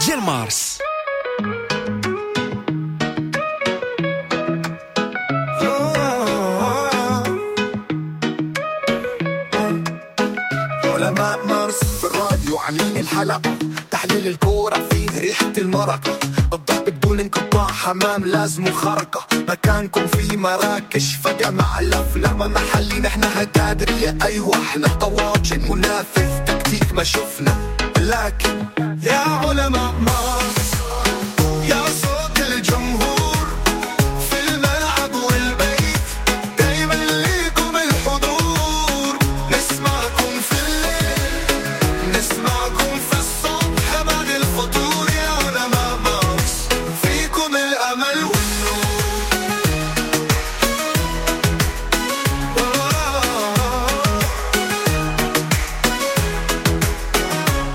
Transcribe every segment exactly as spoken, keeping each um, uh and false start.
ديال مارس. علماء مارس في الراديو عاملين الحلقة، تحليل الكورة فيه ريحة المرقة، الضرب بدون انقطاع، حمام لازم خرقة، مكانكم في مراكش فجأة مع الأفلام محلي، نحن هتادرية أيوة احنا طواجن، منافذ تكتيك ما شفنا، لكن يا علماء مارس يا صوت الجمهور في الملعب والبيت، دايما ليكم الحضور، نسمعكم في الليل نسمعكم في الصبح بعد الفطور، يا علماء مارس فيكم الأمل والنور.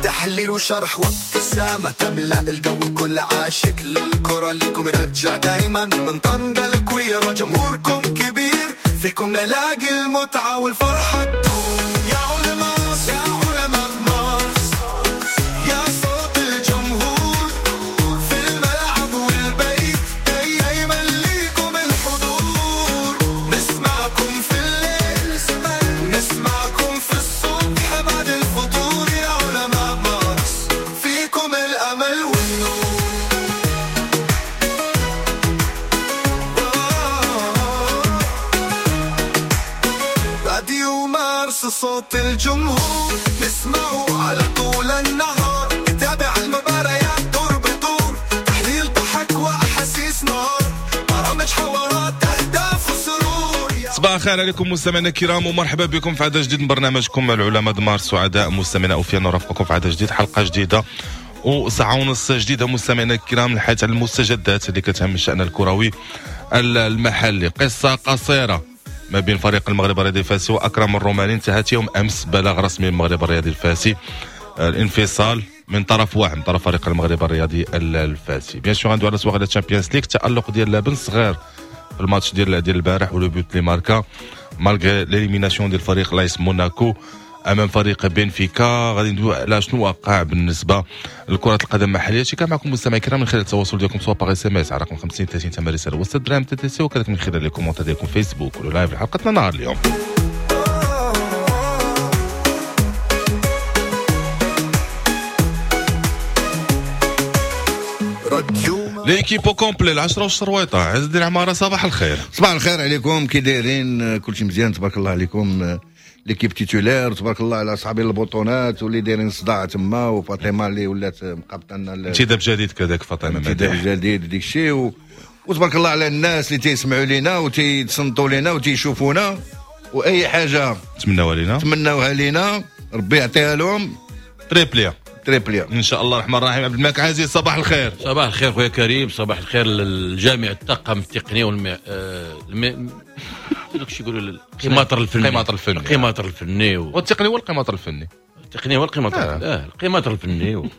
تحليل وشرح وابتسامة تملأ الجو، كل عاشق للكرة ليكم رجع دايما، من طنجة للكويرة جمهوركم كبير، فيكم نلاقي المتعة والفرحة تدوم. يا علماء يا علماء مارس يا صوت الجمهور في الملعب والبيت، دايما ليكم الحضور، نسمعكم في الليل نسمعكم في الصبح بعد الفطور، يا علماء مارس فيكم الأمل والنور. راديو مارس صوت الجمهور، نسمعه على طول النهار، نتابع المباريات دور بدور، تحليل ضحك وأحاسيس نار، برامج حوارات أهداف وسرور. صباح الخير عليكم مستمعينا الكرام، ومرحبا بكم في عدد جديد من برنامجكم العلماء مارس. سعداء مستمعينا اوفياء نرافقكم في عدد جديد، حلقة جديدة وساعة ونص جديدة مستمعينا الكرام، الحديث على المستجدات اللي كتهم الشان الكروي المحلي. قصة قصيرة ما بين فريق المغرب الرياضي الفاسي واكرم الروماني انتهت يوم امس بلاغ رسمي المغرب الرياضي الفاسي، الانفصال من طرف واحد، من طرف فريق المغرب الرياضي الفاسي. bien sûr غندوي على سواغ على Champions League، التالق ديال لابن صغير في الماتش ديال ديال البارح و le but اللي ماركا malgré l'élimination ديال فريق لايس موناكو امام فريق بنفيكا. غادي ندوي على شنو وقع بالنسبة لكرة القدم المحلية. شي كان معكم مستمعي الكرام من خلال التواصل ديالكم سواء par SMS على رقم خمسين ثلاثين ثمانية رسالة وسط درهم TTC، وكذلك من خلال les commentaires ديالكم فيسبوك ولا live حلقتنا نهار اليوم. l'équipe au complet العشرة والشرويطه. عز الدين عمارة صباح الخير. صباح الخير عليكم، كي دايرين؟ كلشي مزيان تبارك الله عليكم. l'équipe titulaire تبارك الله على صحابي البطونات واللي دايرين صداع تما، وفاطمة اللي ولات مقابطه لنا انتداب جديد كذاك فاطمة، انتداب جديد ديك الشيء و... وتبارك الله على الناس اللي تيسمعوا لينا وتيتصنتوا لينا وتيشوفونا، واي حاجة تمناوها لينا تمناوها لينا ربي يعطيها لهم triplé triplé ان شاء الله الرحمن الرحيم. عبد الملك عزيز صباح الخير. صباح الخير خويا كريم، صباح الخير للجامع الطاقم التقني والم الم... دوك شي يقولوا القماطر الفني، القماطر الفني، القماطر الفني و... والتقني هو القماطر الفني، التقني هو القماطر آه. اه القماطر الفني و...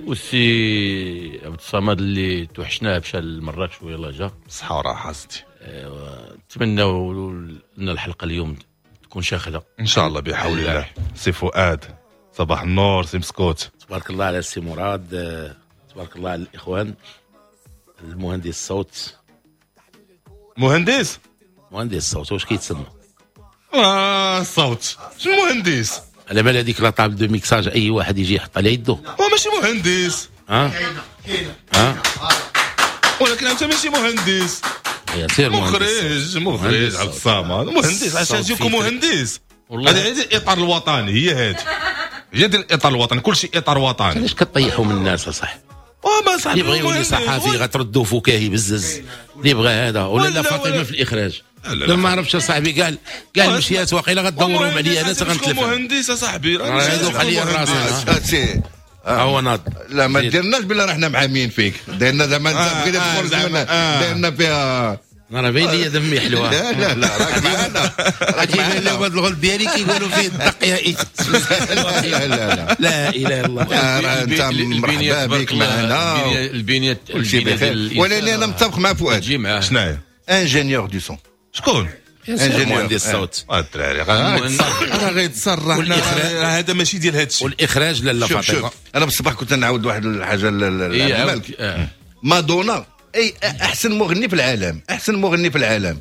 والسي عبد الصمد اللي توحشناه مشى لمراكش ويلا جا صحة وراحة ستي. نتمناو ان الحلقة اليوم تكون شاخده ان شاء الله بحول الله. سي فؤاد صباح النور. سي مسكوت تبارك الله على السي مراد، تبارك الله على الاخوان، المهندس الصوت، مهندس مهندس الصوت واش كيتسمى؟ اه الصوت شنو مهندس؟ على بال هذيك la table de mixage اي واحد يجي يحط على يده هو ماشي مهندس. ها ها ولكن انت ماشي مهندس يا سير مخرج، مخرج عبد الصمد مهندس. عشان يجيكم مهندس هذه الاطار الوطني، هي هذه هي ديال الاطار الوطني، كل شيء اطار وطني. علاش كطيحوا من الناس اصاحبي؟ وما صاحبي اللي بغى يولي صحفي غتردوا فكاهي بزز، اللي بغى هذا ولا لا فاطمة في الاخراج لا ما عرفتش اصاحبي. قال قال مشيات واقيلا غدورهم عليا انا غنتلف. مهندس اصاحبي هذوك عليا الراس هو ناض. لا ما ديرناش بلا رحنا معامين فيك، ديرنا زعما انت بغيتي تخرج منا، ديرنا فيها انا باين لي دمي حلوة. لا لا لا راك معنا، راك معنا. هذا الغلط ديالي كيقولوا فيه الدق يا إيت. لا لا لا لا اله الا الله. انت مرحبا بك معنا. البنية كلشي بخير، ولكن انا متفق مع فؤاد. شناهي؟ ingénieur du son. شكون؟ مهندس الصوت. الدراري راه غيتصرح، هذا ماشي ديال هذا الشيء. والاخراج لاله فاطمة. انا بالصباح كنت نعاود واحد الحاجة للمالك. مادونا اي احسن مغني في العالم، احسن مغني في العالم،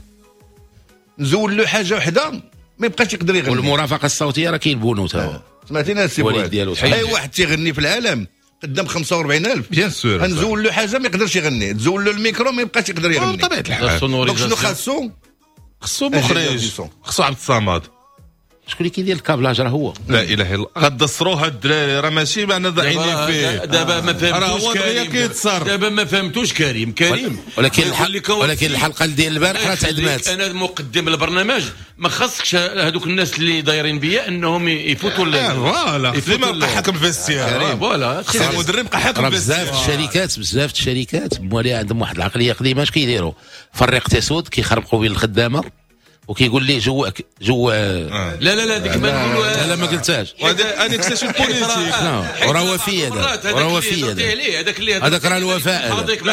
نزول له حاجة وحده ما يبقاش يقدر يغني. والمرافقه الصوتية راه كاين بونو تا هو، سمعتينا السي فؤاد؟ اي واحد تيغني في العالم قدام خمسة وأربعين ألف bien sûr نزول له حاجة ما يقدرش يغني، تزول له الميكرو ما يبقاش يقدر يغني. بطبيعة الحال. donc شنو خاصو؟ خصو مخرج، خصو عبد الصمد. شكون اللي كيدير ال câblage؟ راه هو. لا اله الا الله، غدسروها الدراري راه ماشي معنا ضعينين فيه. دابا ما فهمتوش كريم، دابا ما فهمتوش كريم كريم ولكن الحلقة، ولكن الحلقة ديال البارح راه تعدمات. انا مقدم البرنامج ما خاصكش هذوك الناس اللي دايرين بيا انهم يفوتوا voilà ديما بقى حاكم vestiaire. voilà خص المدرب بقى حاكم vestiaire. بزاف الشركات، بزاف الشركات موالي عندهم واحد العقلية قديمة، اش كيديروا؟ فريق تسود كيخربقوا بين الخدامة وكيقول لي جو جو آه. لا لا لا ديك ما نقولوها. لا لا ما قلتهاش. هذا annexation politique. وراه وفي هذا، وراه وفي هذا، هذاك اللي هذاك راه الوفاء. هذيك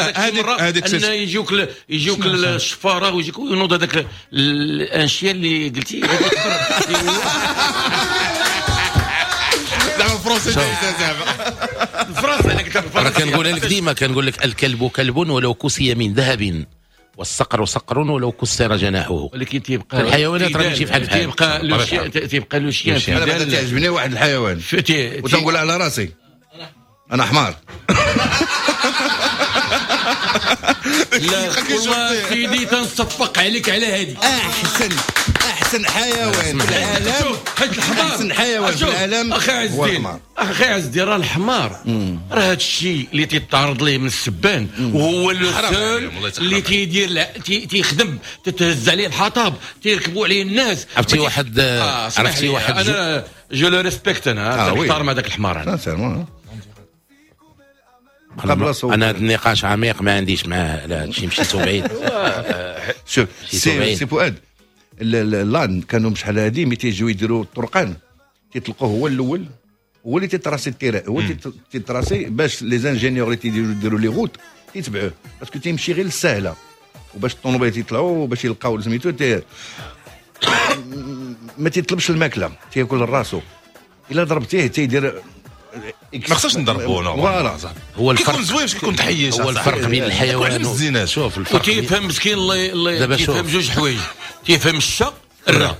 هذيك ان يجيوك يجيوك الشفاره ويجيك وينوض هذاك الانشياء اللي قلتي زعما français زعما الفرنسي. انا قلت راه كنقولها لك ديما، كنقول لك الكلب كلب ولو كسي من ذهب، والصقر صقر ولو كسر جناحه. ولكن تيبقى الحيوانات راه ماشي بحال بحال، تيبقى le chien، تيبقى le chien. انا بعدا تعجبني واحد الحيوان وتنقول على راسي انا حمار. لا والله سيدي تنصفق عليك على هذه. احسن احسن حيوان في العالم، حيت الحمار احسن حيوان في العالم. اخي عز الدين، اخي عز الدين، راه الحمار راه هذا الشيء اللي تيتعرض ليه من السبان، وهو le seul اللي تيدير تيخدم، تتهز عليه الحطب، تيركبوا عليه الناس. عرفتي واحد، عرفتي واحد، انا je le respecte، انا نحترم هذاك الحمار. انا انا هذا النقاش عميق ما عنديش معاه على هذا الشيء، مشيتو بعيد. شوف سي سي فؤاد، l'âne كانوا شحال هادي ملي تيجيو يديروا الطرقان تيطلقوه هو الاول، هو اللي تيتراسي ال terrain، هو اللي تيتراسي باش les ingénieurs اللي تيديروا يديروا les routes تيتبعوه، parce que تيمشي غير السهلة وباش الطوموبيل تيطلعوا باش يلقاو سميتو تي... ما تيطلبش الماكلة، تياكل راسو. الا ضربتيه تيدير ما خصناش نضربو voilà. هو الفرق كيكون زوين كيكون تحيش، هو الفرق بين الحيوان. شوف الفرق، وتيفهم مسكين الله تيفهم جوج حوايج، تيفهم الشا الرا.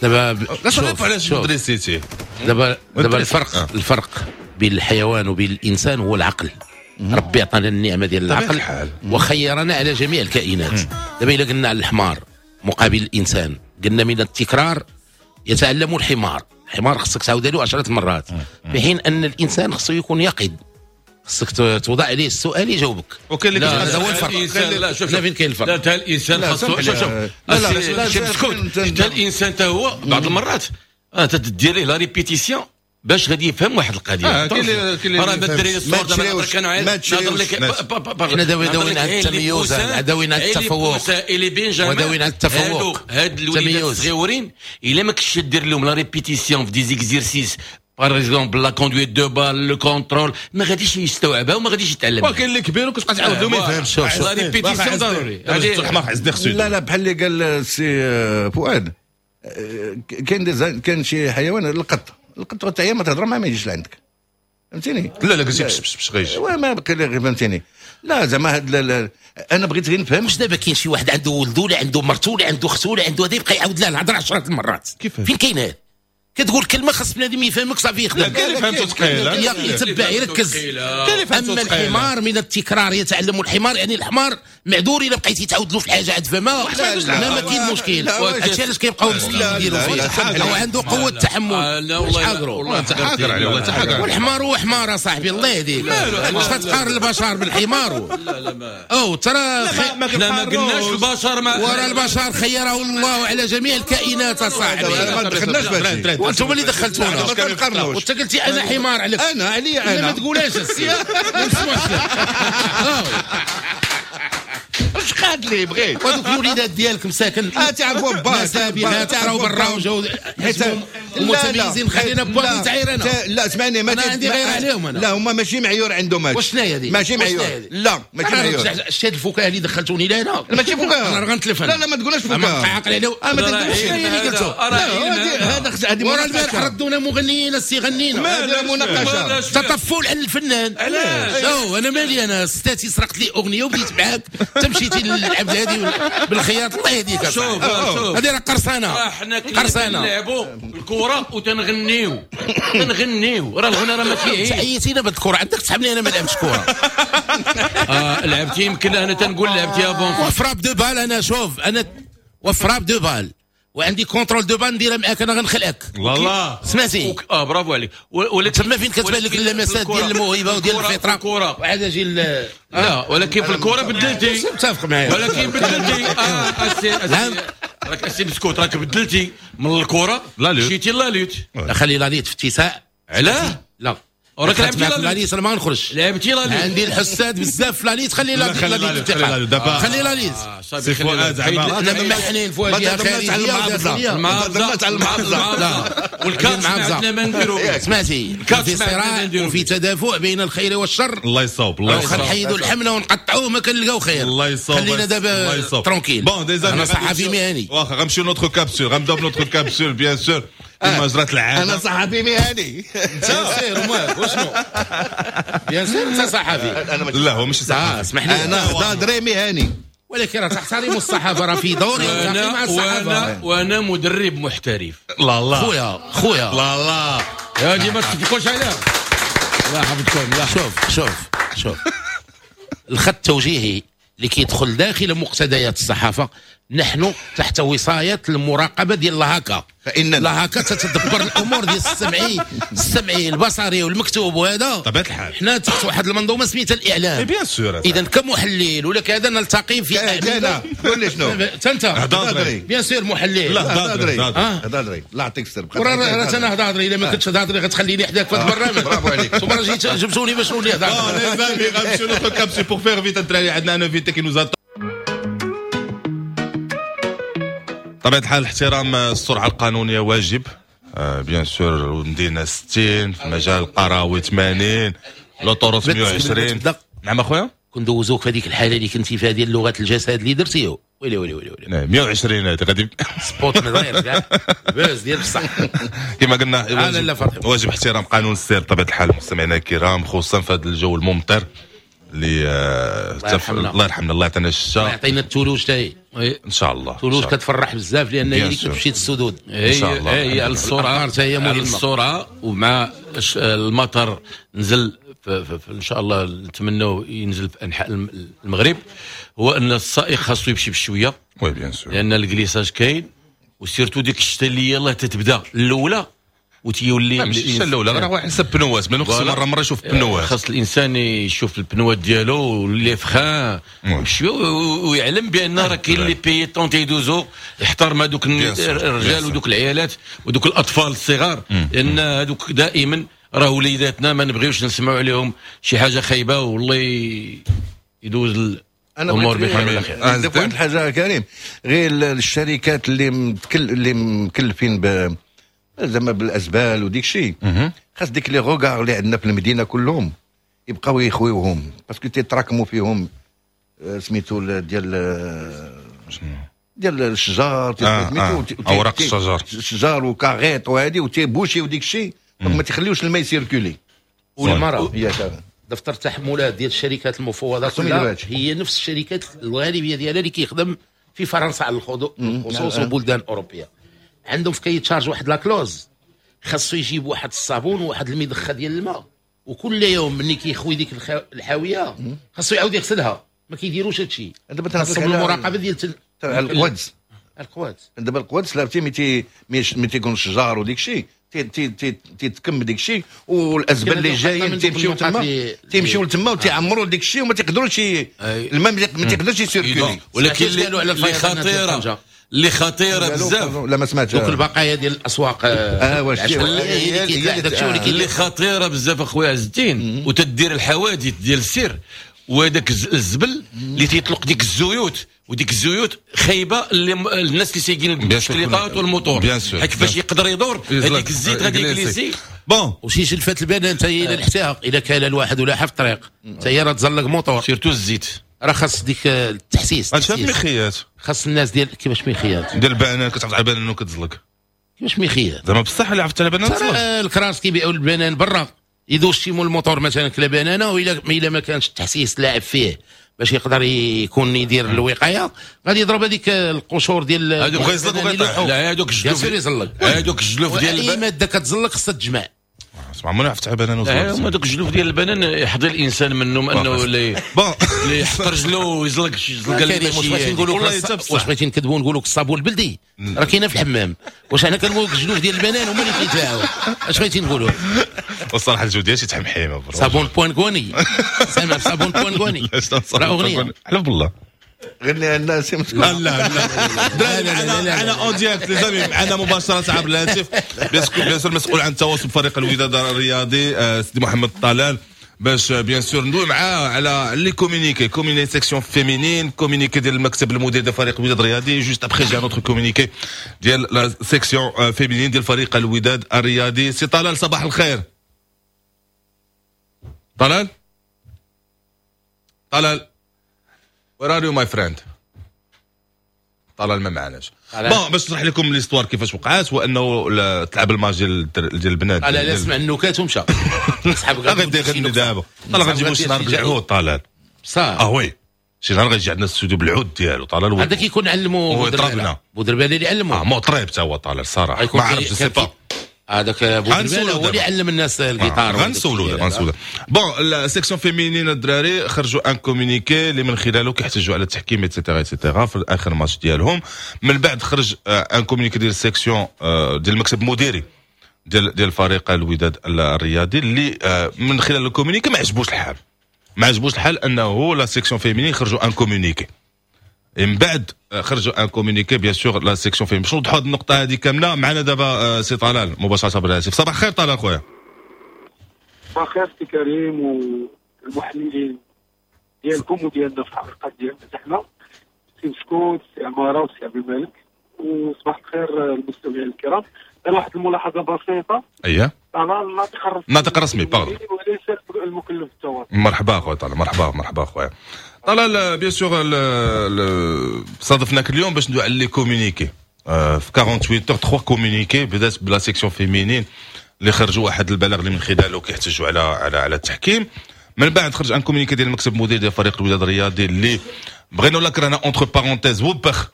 دابا لا شوف علاش دريسيتي دابا دابا الفرق، الفرق بين الحيوان وبين الانسان هو العقل. ربي عطانا النعمة ديال العقل وخيرنا على جميع الكائنات. دابا الا قلنا على الحمار مقابل الانسان، قلنا من التكرار يتعلم الحمار. الحمار خصك تعاود له عشرة مرات، في حين ان الانسان خصو يكون يقظ، خصك توضع عليه السؤال يجاوبك. وكاين اللي هذا هو الفرق. لا شوف لا فين كاين الفرق؟ لا تا الانسان خصو شوف شوف لا لا شوف حتى الانسان تا هو بعض المرات تدير ليه la répétition باش غادي يفهم واحد القضية. آه راه الدراري الصغار دابا كانوا نهضر لك حنا داويين على التميز، داويين على التفوق، وداويين على التفوق. هاد الوليدات الصغيورين الا ما كنتش دير لهم la répétition في des exercices par exemple la conduite de balle le contrôle، ما غاديش يستوعبها وما غاديش يتعلمها. وكاين اللي كبير وكتبقى تعاود له ما يفهمش. la répétition ضروري. لا لا بحال اللي قال السي فؤاد، كاين كاين شي حيوان القط، القط حتى هي ما تهضر معاه ما يجيش لعندك، فهمتيني؟ لا لا قلتي بش بش بش غيجي ما بقي لي فهمتيني. لا زعما هاد انا بغيت غير نفهم واش دابا كاين شي واحد عنده ولده ولا عنده مرته ولا عنده اخته ولا عنده هذا يبقى يعاود لها الهضرة عشرة المرات؟ فين كاين هذا؟ كتقول كلمة خاص بنادم يفهمك صافي يخدم. كاين اللي فهمته ثقيلة يتبع يركز. اما الحمار من التكرار يتعلم الحمار، يعني الحمار معذور الا بقيتي تعاود له في الحاجة عاد فما ما, ما كاين مشكل. هادشي علاش كيبقاو مسكين يديروا فيه، هو عنده قوة التحمل. والله تحاكر عليه، والله تحاكر. والحمار هو حمار اصاحبي، الله يهديك. واش تقارن البشر بالحمار؟ لا لا ما او ترى حنا ما قلناش البشر، ما ورا البشر خيره الله على جميع الكائنات اصاحبي. ما دخلناش بهادشي، وانتم اللي دخلتونا. وانت قلتي انا حمار عليك، انا عليا انا. ما تقولهاش السي، ما نسمعش لك. اش قاد لي بغيت وهذوك الوليدات ديالك مساكن اه تعرفوا با سابقات تعرفوا برا وجاو حيت المتميزين خلينا بوالي تعاير انا. لا اسمعني، ما عندي غير عليهم انا. لا هما ماشي معيور عندهم هادشي. واش شناهي هذه؟ ماشي معيور. لا ماشي معيور. شتي هاد الفكاهة اللي دخلتوني لهنا ماشي فكاهة. انا غنتلف انا. لا لا ما تقولهاش فكاهة. عاقل عليه. ما تقولش شنو هي اللي قلتو؟ هذا هذه ورا البارح ردونا مغنيين السي غنينا. هذا مناقشة تطفل على الفنان. علاش؟ انا مالي انا ستاتي سرقت لي اغنية وبديت معاك تمشيتي للعبد هذه بالخياط. الله يهديك. شوف شوف هذه راه قرصانه. حنا قرصانه نلعبوا الكره وتنغنيو تنغنيو راه الغنى راه ماشي عيب. تعيتينا بالكرة عندك تسحبني انا ما لعبتش كره. اه لعبتي يمكن انا تنقول لعبتي bon و frappe de balle. انا شوف انا و frappe de balle وعندي contrôle de balle نديرها معاك انا غنخلعك. الله سمعتي؟ اه برافو عليك. ولكن تما فين كتبان لك اللمسات ديال الموهبة وديال الفطرة وعاد اجي لا ولكن في الكره بدلتي. متفق معايا ولكن بدلتي. اه اسي راك اسي بسكوت راك بدلتي من الكره مشيتي la lutte. لا خلي la lutte في اتساع. علاه؟ لا وراك لعبتي la lutte انا ما غنخرجش. لعبتي la lutte عندي الحساد بزاف في la lutte. خلي la lutte خلي la lutte. سي فؤاد زعما انا ممحنين في واجهه خارجية وداخليه. المعارضة المعارضة والكاس عندنا ما نديرو. سمعتي؟ في صراع وفي تدافع بين الخير والشر. الله يصوب الله يصوب. نحيدوا الحملة ونقطعوه ما كنلقاو خير. الله يصوب. خلينا دابا tranquille. bon déjà انا صحفي مهني. واخا غنمشيو notre capsule، غنبداو ب notre capsule bien sûr كما جرات العادة. انا صحفي مهني. bien sûr ماك وشنو؟ bien sûr انت صحفي. لا هو ماشي صحفي. اسمح لي انا هضري مهني ولكن راه تحترم الصحافة راه في دوري مع الصحافة. وانا وانا مدرب محترف. لا لا خويا خويا لا لا يا دي ما تتفقوش عليها. الله يحفظكم. لا شوف شوف شوف الخط التوجيهي اللي كيدخل داخل مقتضيات الصحافة نحن تحت وصايه المراقبة ديال l'HACA. فان l'HACA تتدبر الامور ديال السمعي السمعي البصري والمكتوب وهذا طبيعة الحال. حنا تحت واحد المنظومة سميتها الاعلام. bien sûr. اذا كمحلل ولا كذا نلتقي في انا قول لي شنو انت bien sûr محلل. لا هضري هضري لا اعطيك السر. راه انا هضري الا ما كنتش هضري غتخليني حداك في هذا البرنامج. برافو عليك. ثم راه جيت جبتوني باش نولي هضري. les amis غنمشيو notre capsule pour faire vite الدراري عندنا un invité qui nous attend. طبيعة الحال احترام السرعة القانونية واجب bien sûr. المدينة ستين في المجال القروي ثمانين l'autoroute مية وعشرين. نعم اخويا كندوزوك في هذيك الحالة اللي كنتي فيها ديال لغة الجسد اللي درتيه. ويلي ويلي ويلي ويلي مية وعشرين هذه غادي spot مداير كاع buzz ديال بصح. كما قلنا واجب, واجب احترام قانون السير بطبيعة الحال مستمعينا الكرام، خصوصا في هذا الجو الممطر اللي الله يرحمنا الله يعطينا الشتاء الله يعطينا الثلوج حتى ان شاء الله. الثلوج كتفرح بزاف لان هي اللي كتمشي للسدود ان شاء الله. هي على السرعة هي على السرعة ومع المطر نزل في في في ان شاء الله نتمنوا ينزل في انحاء المغرب. هو ان السائق خاصو يمشي بشوية oui bien sûr لان ال glissage كاين و surtout ديك الشتا اللي يلاه تتبدا الاولى وتيولي ماشي الشتا الاولى راه واحد حسب pneu ات من خصو مرة مرة يشوف pneu ات. خاص الانسان يشوف ال pneu ات ديالو و les freins بشوية ويعلم بان راه كاين les piétons تيدوزو يحترم هذوك الرجال ودوك العيالات ودوك الاطفال الصغار لان هذوك دائما راه وليداتنا ما نبغيوش نسمعوا عليهم شي حاجة خايبة والله يدوز الامور بخير وعلى خير. انا واحد الحاجة كريم غير الشركات اللي متكل اللي مكلفين ب زعما بالازبال وديك الشيء خاص ديك les regards اللي عندنا في المدينة كلهم يبقاو يخويوهم parce que تيتراكموا فيهم سميتو ديال ديال الشجار سميتو اوراق الشجر الشجر وكاغيط وهادي وتيبوشيو ديك الشيء ما تخليوش الماء يسيركولي. والمرأة دفتر التحملات ديال الشركات المفوضة كلها هي نفس الشركات الغالبية ديالها اللي كيخدم في فرنسا على الخصوص وبلدان اوروبية عندهم في cahier des charges واحد la clause خاصو يجيب واحد الصابون وواحد المضخه ديال الماء وكل يوم ملي كيخوي ديك الحاويه خاصو يعاود يغسلها. ما كيديروش هادشي. دابا خاصهم المراقبة ديال القوادس القوادس دابا القوادس لابتي ملي ملي تيكون الشجار وديك الشيء تيتكم ديك الشيء والازبال اللي جايين تيمشيو تما تيمشيو لتما وتيعمروا ديك الشيء وما تيقدروش الماء ما تيقدرش يسيركولي. ولكن اللي خطيرة اللي خطيرة بزاف لا ما سمعتش دوك البقايا ديال الاسواق اه واش اللي خطيرة بزاف اخويا عز الدين وتدير الحوادث ديال السير وهذاك الزبل اللي تيطلق ديك الزيوت، وديك الزيوت خايبة اللي الناس اللي سايقين البسكليطات والموتور، حيت كيفاش يقدر يدور هذيك الزيت غادي يجليسي. bon وشي جلفات البنان حتى هي الا لحتاها، الا كان الواحد ولا في الطريق حتى هي راه تزلق موتور، surtout الزيت راه خاص ديك التحسيس. هادشي ميخيات خاص الناس ديال كيفاش ميخيات ديال البنان كتعرف على البنان وكتزلق كيفاش ميخيات زعما بصح اللي عرفت على البنان تزلق. الكراس كيبيعوا البنان برا، يدوز شي مول الموتور مثلا كلا بنانه، والا الا ما كانش التحسيس لاعب فيه باش يقدر يكون يدير الوقاية غادي يضرب هذيك القشور ديال هذوك غيزلق. لا هذوك الجلوف هذوك الجلوف ديال اي مادة كتزلق خصها تجمع. اسمع ما عرفت على بنان وزلق. هما دوك الجلوف ديال البنان يحضر الانسان منهم انه اللي اللي يحط رجلو ويزلق شي زلقه اللي ماشي. واش نقولوا واش بغيتي نكذبوا نقولوا الصابون البلدي راه كاينه في الحمام، واش حنا كنقولوا الجلوف ديال البنان هما اللي كيتباعوا؟ اش بغيتي نقولوا؟ والصراحة الجوديه شي تحمحيمه صابون بوانكوني، سامع صابون بوانكوني راه اغنية. حلف بالله غني الناس. لا لا لا لا معنا en direct les amis، معنا مباشرة عبر الهاتف bien sûr المسؤول عن التواصل بفريق الوداد الرياضي سيدي محمد طلال، باش bien sûr ندوي معاه على les communiqués، communiqué section féminine، communiqué ديال المكتب المدير ديال فريق الوداد الرياضي، juste après j'ai un autre communiqué ديال la section féminine ديال فريق الوداد الرياضي. سي طلال صباح الخير. طلال طلال where are you my friend؟ طلال ما معناش. bon باش نشرح لكم l'histoire كيفاش وقعات، هو انه تلعب الماتش ديال ديال البنات. لا لا سمع النكات ومشى. صحاب غادي يغني دابا. طلال غنجيبو شي نهار بالعود طلال. صح اه oui شي نهار غيجي عندنا الاستوديو بالعود ديالو طلال. هذا كيكون علمو بودربالي اللي علمو. اه مطرب حتى هو طلال صراحة ما عرفتش sais pas. هذاك بودربالي هو اللي علم الناس الجيتار. غنسولو دابا غنسولو. bon ال section féminine الدراري خرجوا un communiqué اللي من خلاله كيحتجوا على التحكيم et cetera et cetera في اخر ماتش ديالهم. من بعد خرج un communiqué ديال ال section ديال المكتب المديري ديال ديال فريق الوداد الرياضي اللي من خلال ال communiqué ما عجبوش الحال، ما عجبوش الحال انه la section féminine خرجوا un communiqué. من بعد خرجوا un communiqué bien sûr la section féminine. باش نوضحوا هذه النقطة هذه كاملة معنا دابا سي طلال مباشرة بالهاتف. صباح الخير طلال خويا. صباح الخير سي كريم والمحللين ديالكم وديالنا في الحلقات ديالنا حنا، سي مسكوت، سي عمارة وسي عبد الملك، وصباح الخير المستمعين الكرام. واحد الملاحظة بسيطة. اييه طلال الناطق الرسمي، الناطق الرسمي pardon، وليس المكلف بالتواصل. مرحبا خويا طلال، مرحبا مرحبا خويا طلال. bien sûr صادفناك اليوم باش ندوي على les communiqués في ثمانية وأربعين heures ثلاثة communiqués. بدات ب la section féminine اللي خرجوا واحد البلاغ اللي من خلاله كيحتجوا على على على التحكيم. من بعد خرج un communiqué ديال المكتب المدير ديال فريق الوداد الرياضي اللي بغينا ولا كرهنا entre parenthèses وبخ.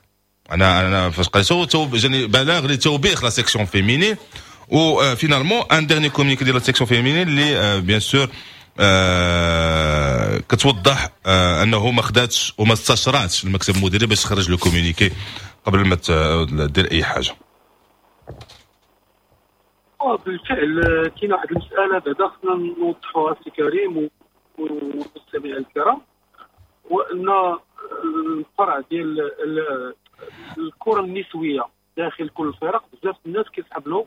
انا انا فاش قريتو جاني بلاغ لتوبيخ la section féminine. و finalement un dernier communiqué ديال la section féminine اللي bien sûr آه كتوضح آه انه ما خداتش وما استشراتش المكتب المديري باش تخرج le communiqué قبل ما دير اي حاجة. بالفعل كاين واحد المسالة بعدا خصنا نوضحوها سي كريم والمستمعين الكرام، هو ان الفرع ديال الكره النسوية داخل كل الفرق بزاف الناس كيسحب له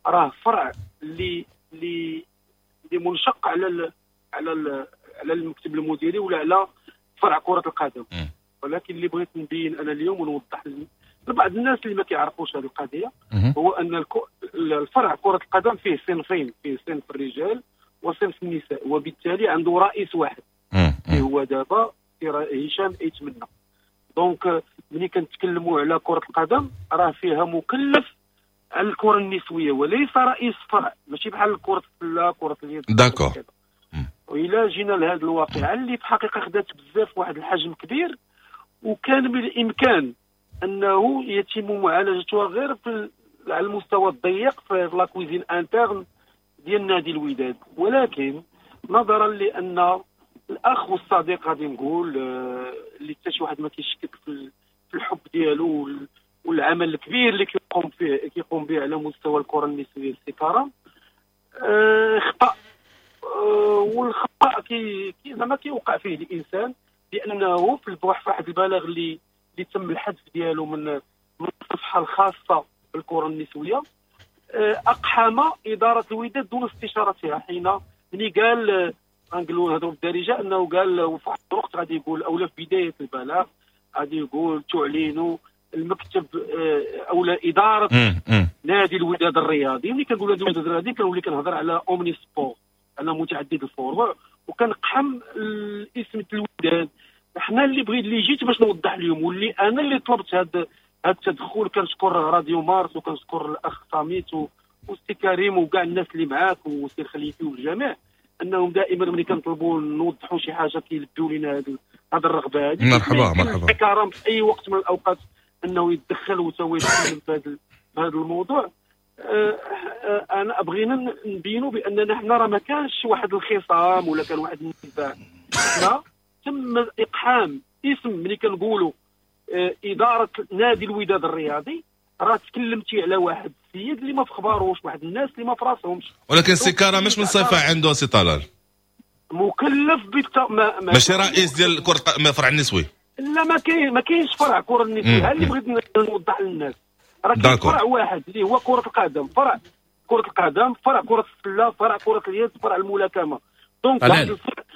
راه فرع اللي اللي اللي منشق على ال على ال على المكتب المديري ولا على فرع كره القدم. ولكن اللي بغيت نبين انا اليوم ونوضح لبعض الناس اللي ما كيعرفوش هذه القضية هو ان الفرع كره القدم فيه صنفين، فيه صنف الرجال وصنف النساء، وبالتالي عنده رئيس واحد اللي هو دابا هشام ايتمنى. donc ملي كنتكلموا على كره القدم راه فيها مكلف على الكره النسوية وليس رئيس فرع، ماشي بحال كره السلة كره اليد. d'accord. والى جينا لهذه الواقعة اللي في الحقيقة خدات بزاف واحد الحجم كبير، وكان بالامكان انه يتم معالجتها غير في على المستوى الضيق في la cuisine interne ديال نادي الوداد، ولكن نظرا لان الاخ والصديق غادي نقول آه، اللي حتى شي واحد ما كيشكك في الحب ديالو والعمل الكبير اللي كيقوم فيه كيقوم به على مستوى الكره النسوية السي كرم، آه، خطا، آه، والخطا كي زعما كيوقع فيه الانسان، لانه في واحد البلاغ اللي اللي تم الحذف ديالو من من الصفحة الخاصة بالكرة النسوية، اقحم ادارة الوداد دون استشارتها حين ملي قال غنقولوا نهضروا بالدارجة، انه قال في واحد الوقت غادي يقول اولا في بداية البلاغ غادي يقول تعلن المكتب او ادارة نادي الوداد الرياضي. ملي كنقول نادي الوداد الرياضي كنولي كنهضر على omnisports، على متعدد الفروع، وكنقحم الاسم الوداد. حنا اللي بغيت اللي جيت باش نوضح اليوم، واللي انا اللي طلبت هذا هذا التدخل، كنشكر راديو مارس وكنشكر الاخ صاميت والسي كريم وكاع الناس اللي معاك والسي الخليفي والجميع، انهم دائما ملي كنطلبوا نوضحوا شي حاجة كيلبيو لنا هذه الرغبة هذه. مرحبا مرحبا. كرم في اي وقت من الاوقات انه يتدخل وتو يتكلم في هذا هذا الموضوع. انا بغينا نبينوا باننا حنا راه ما كانش واحد الخصام ولا كان واحد النزاع. حنا تم اقحام اسم، ملي كنقولوا ادارة نادي الوداد الرياضي راه تكلمتي على واحد السيد اللي ما في خباروش، واحد الناس اللي ما في راسهمش. ولكن سي كرم مش من صفة عنده سي طلال مكلف بالت... ما... ما ماشي رئيس ديال كره فرع النسوي. لا ما كاين ما كاينش فرع كره النسوي. ها اللي بغيت نوضح للناس راه كاين فرع واحد اللي هو كره القدم، فرع كره القدم، فرع كره السلة، فرع كره اليد، فرع الملاكمة. donc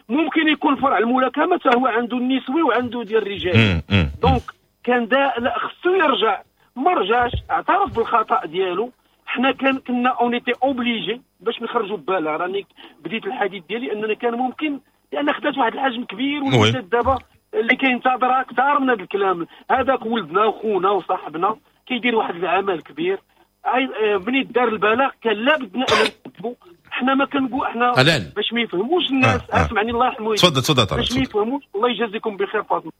ممكن يكون فرع الملاكمة حتى هو عنده النسوي وعنده ديال الرجال. donc كان دا لا خصو يرجع، ما رجعش، اعترف بالخطا ديالو. حنا كان كنا on était obligé باش نخرجوا ببالها. راني بديت الحديث ديالي اننا كان ممكن، لان خدات واحد الحجم كبير والولاد دابا اللي كينتظرها اكثر من هذا الكلام. هذاك ولدنا وخونا وصاحبنا كيدير واحد العمل كبير. ملي دار البلاغ كان لابد ان نكتبوا. حنا ما كنقول حنا باش ما يفهموش الناس. اسمعني الله يرحمه. تفضل تفضل. باش ما يفهموش، الله يجازيكم بخير فاطمة،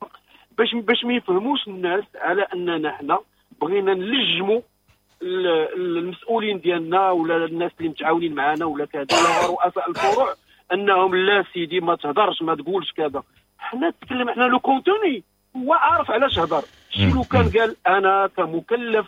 باش باش ما يفهموش الناس على اننا حنا بغينا نلجموا المسؤولين ديالنا ولا الناس اللي متعاونين معنا ولا كذا ولا رؤساء الفروع انهم لا سيدي ما تهضرش ما تقولش كذا. حنا تكلم حنا le contenu هو عارف علاش هضر. شي لو كان قال انا كمكلف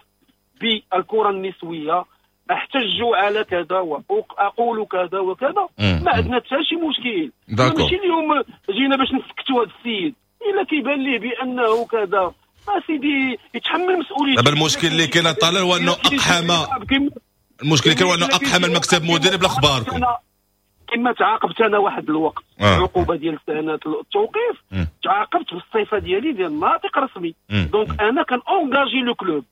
بالكرة النسوية احتج على كذا واقول كذا وكذا، ما عندنا حتى شي مشكل. ماشي اليوم جينا باش نسكتوا هذا السيد الا كيبان ليه بانه كذا، ما سيدي يتحمل مسؤوليته. دابا المشكل اللي كاين طالع هو انه اقحم، المشكل اللي كاين هو انه اقحم المكتب المديري بلا اخباركم. كما تعاقبت انا واحد الوقت آه. عقوبه ديال سنة التوقيف، تعاقبت بالصفة ديالي ديال ناطق رسمي. donc انا كان engager le club،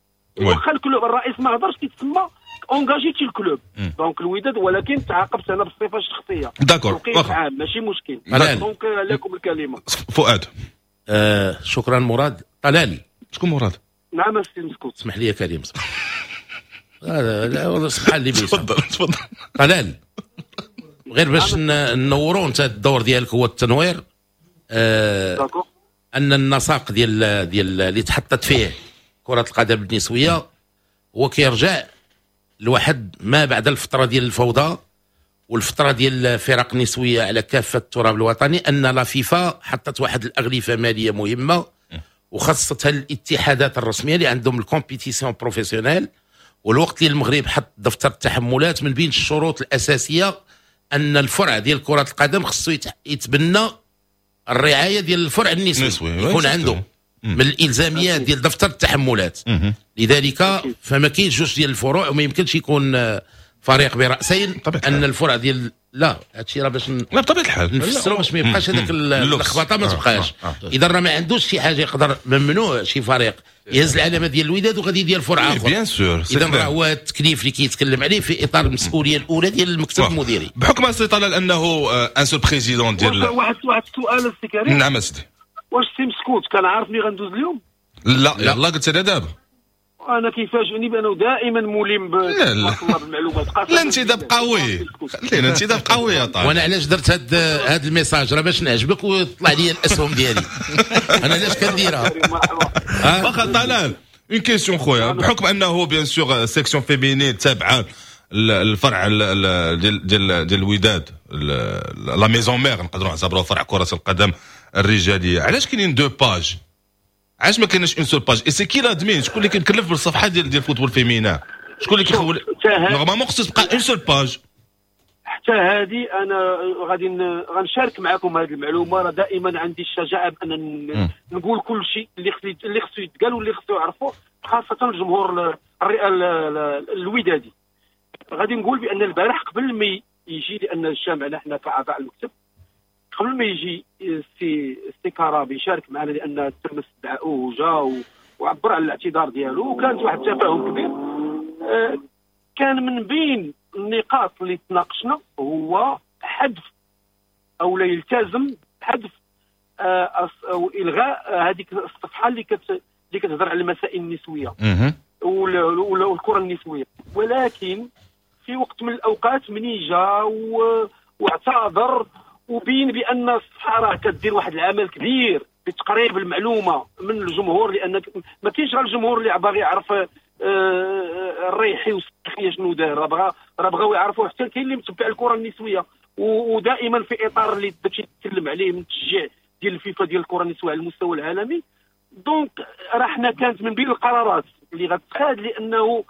واخا ال club الرئيس ما هضرش كيتسمى engagé تي ال club donc الوداد، ولكن تعاقبت انا بالصفة الشخصية. d'accord عام ماشي مشكل. donc لكم الكلمة فؤاد. آه شكرا مراد. طلال شكون مراد؟ نعم السي مسكوت. اسمح لي يا كريم. لا لا والله سبحان اللي بيسمح. تفضل تفضل. طلال غير باش نورو انت الدور ديالك هو التنوير. آه ان النساق ديال ديال اللي تحطت فيه كرة القدم النسوية هو كيرجع لواحد ما بعد الفترة ديال الفوضى والفترة ديال الفرق النسوية على كافة التراب الوطني، ان la FIFA حطت واحد الاغلفة مالية مهمة وخاصة الاتحادات الرسمية اللي عندهم ال compétition professionnelle. والوقت اللي المغرب حط دفتر التحملات من بين الشروط الأساسية ان الفرع ديال كرة القدم خصو يتبنى الرعاية ديال الفرع النسوي، يكون عنده من الالزاميات ديال دفتر التحملات. لذلك فما كاينش جوج ديال الفروع وما يمكنش يكون فريق براسين. ان الفرع ديال لا هادشي راه باش لا بطبيعة الحال نفسروا باش ما يبقاش هذاك اللخبطة ما تبقاش. اذا راه ما عندوش شي حاجة يقدر ممنوع شي فريق يهز العلامة ديال الوداد وغادي يدير فرع اخر. bien sûr. اذا راه هو التكليف اللي كيتكلم عليه في اطار المسؤولية الاولى ديال المكتب المديري. بحكم السي طلال انه un seul président ديال واحد واحد السؤال السي كريم. نعم اسيدي. واش السي مسكوت كان عارفني غندوز اليوم؟ لا يلاه قلت انا دابا. انا كيفاجئني بانه دائما ملم بالمعلومات. لا انتداب قوي، خلينا انتداب قوي يا طارق. وانا علاش درت هاد هاد ال message؟ راه باش نعجبك ويطلع لي الاسهم ديالي. انا علاش كنديرها؟ واخا طلال une question خويا، بحكم انه bien sûr section féminine تابعه الفرع ديال ديال ديال الوداد la maison mère، نقدروا نعتبروه فرع كره القدم الرجاليه، علاش كاينين deux pages؟ علاش ما كاينش une seule page؟ et c'est qui l'admin؟ شكون اللي كيتكلف بالصفحه ديال ديال football féminin؟ شكون اللي كيخول؟ normalement خصو تبقى une seule page. حتى هذه انا غادي غنشارك معكم هذه المعلومة. راه دائما عندي الشجاعة بان نقول كل شيء اللي خصو اللي خصو يتقال واللي خصو يعرفوه، خاصة الجمهور الودادي. غادي نقول بان البارح قبل ما يجي، لان اجتمعنا حنا كاعضاء المكتب، قبل ما يجي السي السي كرابي يشارك معنا، لان تم استدعاؤه وجا وعبر على الاعتذار ديالو، وكانت واحد التفاهم كبير. كان من بين النقاط اللي تناقشنا هو حذف او لا يلتزم حذف او الغاء هذيك الصفحة اللي كت اللي كتهضر على المسائل النسوية والكره النسوية. ولكن في وقت من الاوقات مني جا واعتذر وبين بان الصفحة راه كدير واحد العمل كبير بتقريب المعلومة من الجمهور، لان ما كاينش غير الجمهور اللي باغي يعرف الريحي والسخيه شنو دار، راه بغا راه بغاو يعرفوا حتى كاين اللي متبع الكره النسوية، ودائما في اطار اللي داكشي تكلم عليه من التشجيع ديال الفيفا ديال الكره النسوية على المستوى العالمي. donc راه حنا كانت من بين القرارات اللي غتخاد، لانه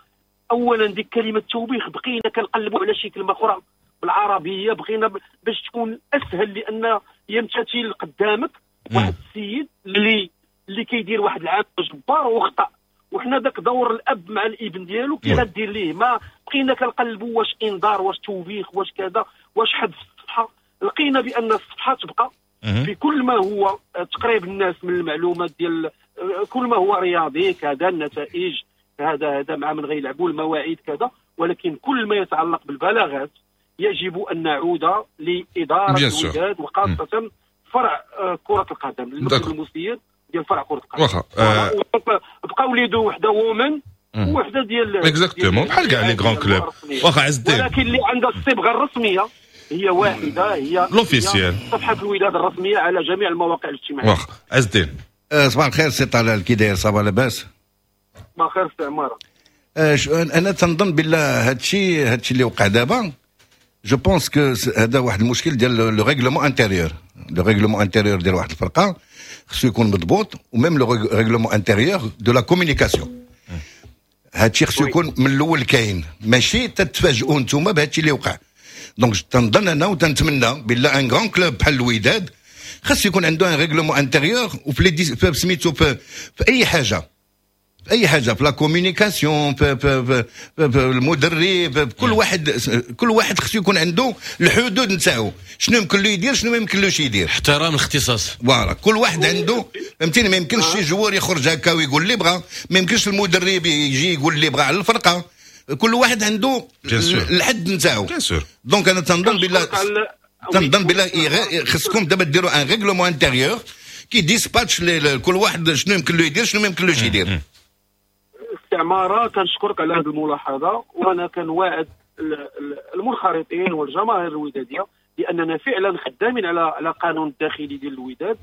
اولا ديك كلمة توبيخ بقينا كنقلبوا على شي كلمة اخرى بالعربية، بغينا باش تكون اسهل، لان يمتثل قدامك واحد السيد اللي اللي كيدير واحد العمل جبار وخطا، وحنا داك دور الاب مع الابن ديالو كي غدير ليه. ما بقينا كنقلبوا واش انذار واش توبيخ واش كذا واش حذف الصفحة، لقينا بان الصفحة تبقى في كل ما هو تقريب الناس من المعلومات ديال كل ما هو رياضي كذا، النتائج هذا هذا مع من غيلعبوا، المواعيد كذا، ولكن كل ما يتعلق بالبلاغات يجب ان نعود لادارة الوداد وخاصة فرع كره القدم، المكتب المسير ديال فرع كره القدم. واخا بقاو les deux، وحده women وحده ديال exactement بحال كاع les grands clubs. واخا عز الدين، ولكن اللي عندها الصبغه الرسمية هي واحدة، هي l'officielle صفحة الوداد الرسمية على جميع المواقع الاجتماعية. واخا عز الدين، صباح الخير سي طلال، كي داير؟ ça va لاباس؟ صباح الخير سي عمارة. انا تنظن بالله هادشي هادشي اللي وقع دابا je pense que هذا واحد المشكل ديال le règlement intérieur. le règlement intérieur ديال واحد الفرقة خصو يكون مضبوط، و même le règlement intérieur de la communication. هادشي خصو يكون من الاول كاين، ماشي تتفاجئوا نتوما بهادشي اللي وقع. donc تنظن انا وتنتمنى بالله un grand club بحال الوداد خاص يكون عنده un règlement intérieur، وفي les سميتو في, في اي حاجة، في اي حاجة، في la communication، في, في, في, في المدرب، في كل واحد، كل واحد خصو يكون عنده الحدود نتاعو، شنو يمكن له يدير شنو ما يمكنلوش يدير، احترام الاختصاص. voilà كل واحد عنده، فهمتيني؟ ما يمكنش شي joueur يخرج هكا ويقول اللي بغى، ما يمكنش المدرب يجي يقول اللي بغى على الفرقة، كل واحد عنده الحد نتاعو. donc انا تنظن بالله تنظن بالله خصكم دابا ديروا un règlement intérieur qui dispatche كل واحد شنو يمكن له يدير شنو ما يمكنلوش يدير. عمارة كنشكرك على هذه الملاحظة، وانا كنواعد المنخرطين والجماهير الوداديه لاننا فعلا خدامين على على قانون الداخلي ديال الوداد،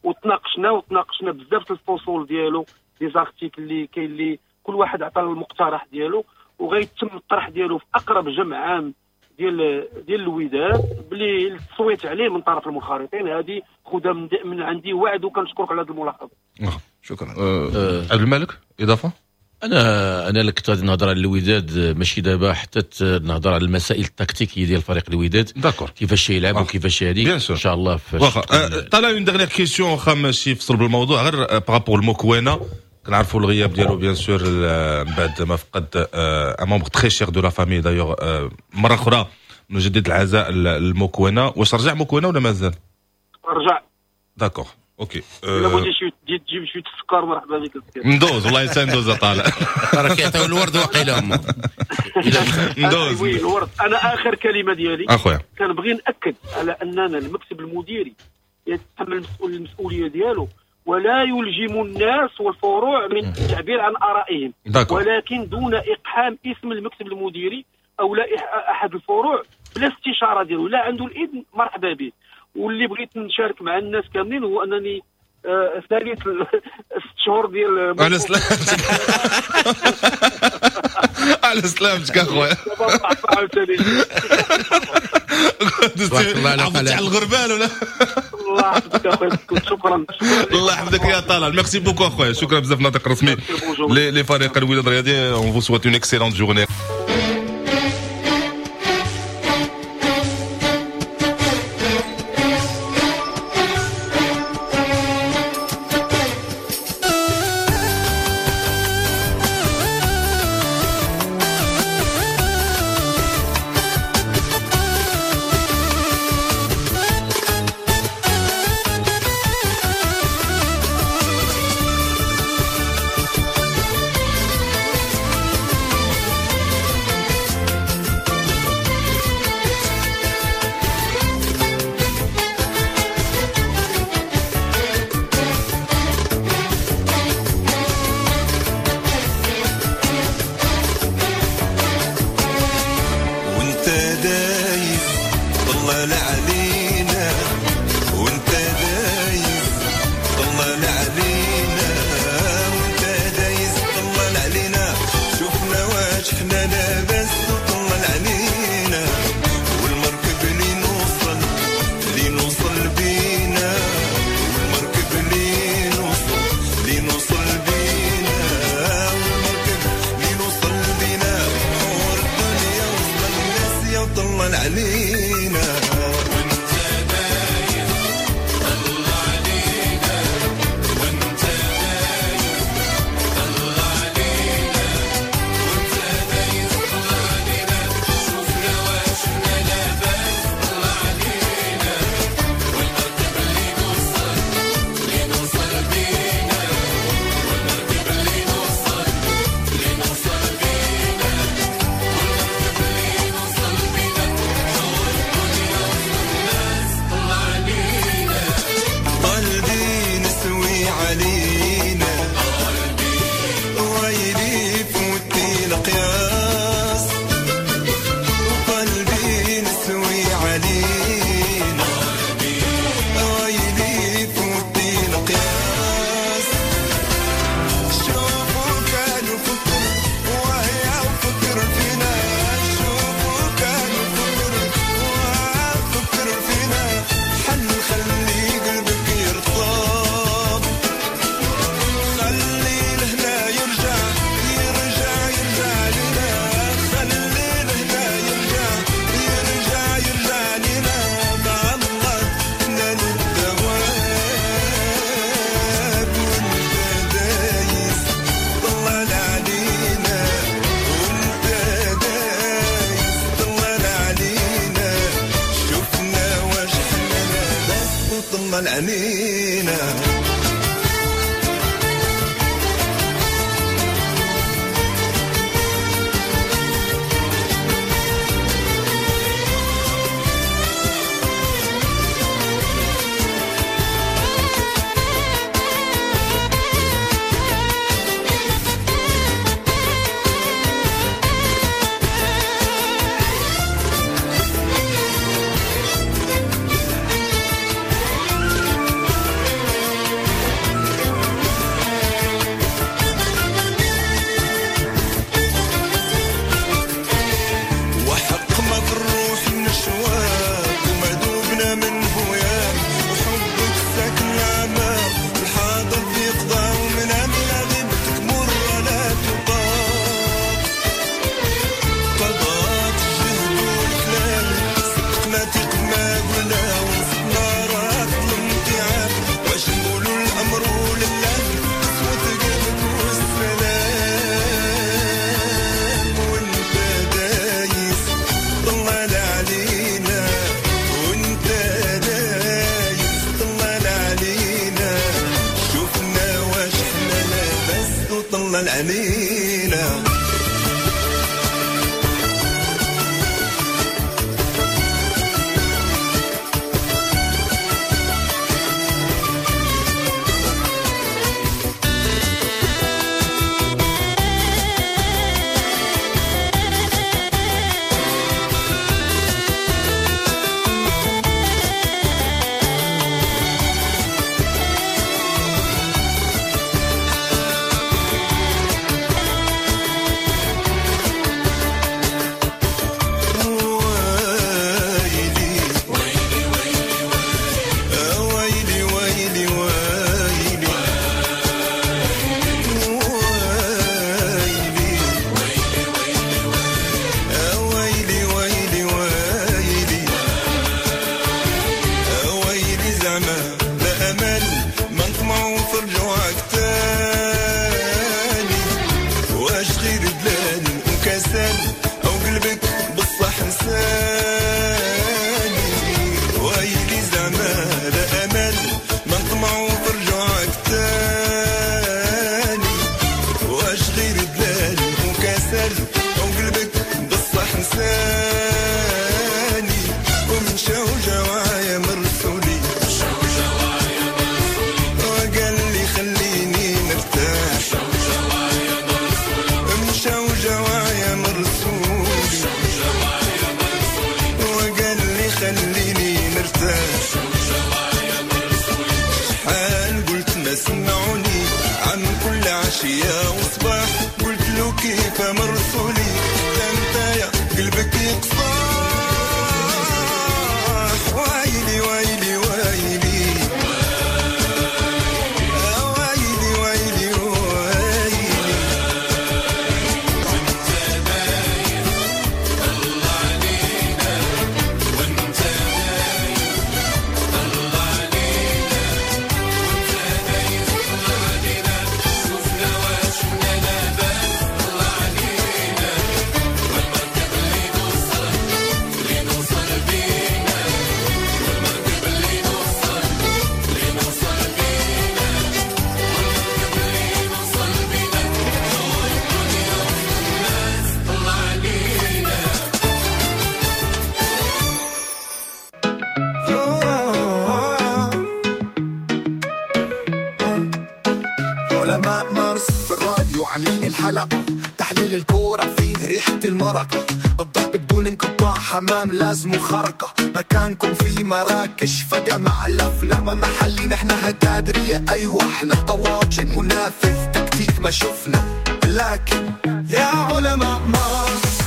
وتناقشنا وتناقشنا بزاف الفصول ديالو، les articles اللي كاين اللي كل واحد عطى المقترح ديالو، وغيتم الطرح ديالو في اقرب جمع عام ديال ديال الوداد بلي التصويت عليه من طرف المنخرطين. هذه خذها من, من عندي وعد، وكنشكرك على هذه الملاحظة. شكرا. عبد الملك اضافه؟ انا انا اللي كنت غادي نهضر على الوداد ماشي دابا، حتى نهضر على المسائل التكتيكيه ديال فريق الوداد، d'accord، كيفاش يلعب وكيفاش هذه ان شاء الله. واخا طلع une dernière question، واخا ماشي في صلب الموضوع، غير par rapport المكوينه كنعرفوا الغياب ديالو bien sûr من بعد ما فقد un membre très cher de la famille d'ailleurs. مرة اخرى نجدد العزاء المكوينه، واش رجع مكوينه ولا مازال؟ رجع. d'accord OK. الا بغيتي شي تجيب شوية السكر مرحبا بك. ندوز والله حتى ندوز طالع. راه كيعطيو الورد واقيلا هما. ندوز oui الورد. انا اخر كلمة ديالي اخويا كنبغي ناكد على اننا المكتب المديري يتحمل المسؤولية ديالو ولا يلجم الناس والفروع من التعبير عن ارائهم، ولكن دون اقحام اسم المكتب المديري او لا احد الفروع بلا استشاره ديالو، لا عنده الاذن مرحبا به. واللي بغيت نشارك مع الناس كاملين هو انني آه ثالث ست شهور ديال على سلامتك على سلامتك اخويا. عرفتي على الغربال ولا؟ الله يحفظك اخويا، شكرا. الله يحفظك يا طلال، merci beaucoup اخويا، شكرا بزاف. ناطق رسمي لفريق الوداد الرياضي، on vous souhaite une excellente journée. طلع علينا. حمام لازم خرقة مكانكم في مراكش فجمع الأفلام محلي نحن هتادرية أيوة احنا طواجن منافذ تكتيك ما شفنا لكن يا علماء مارس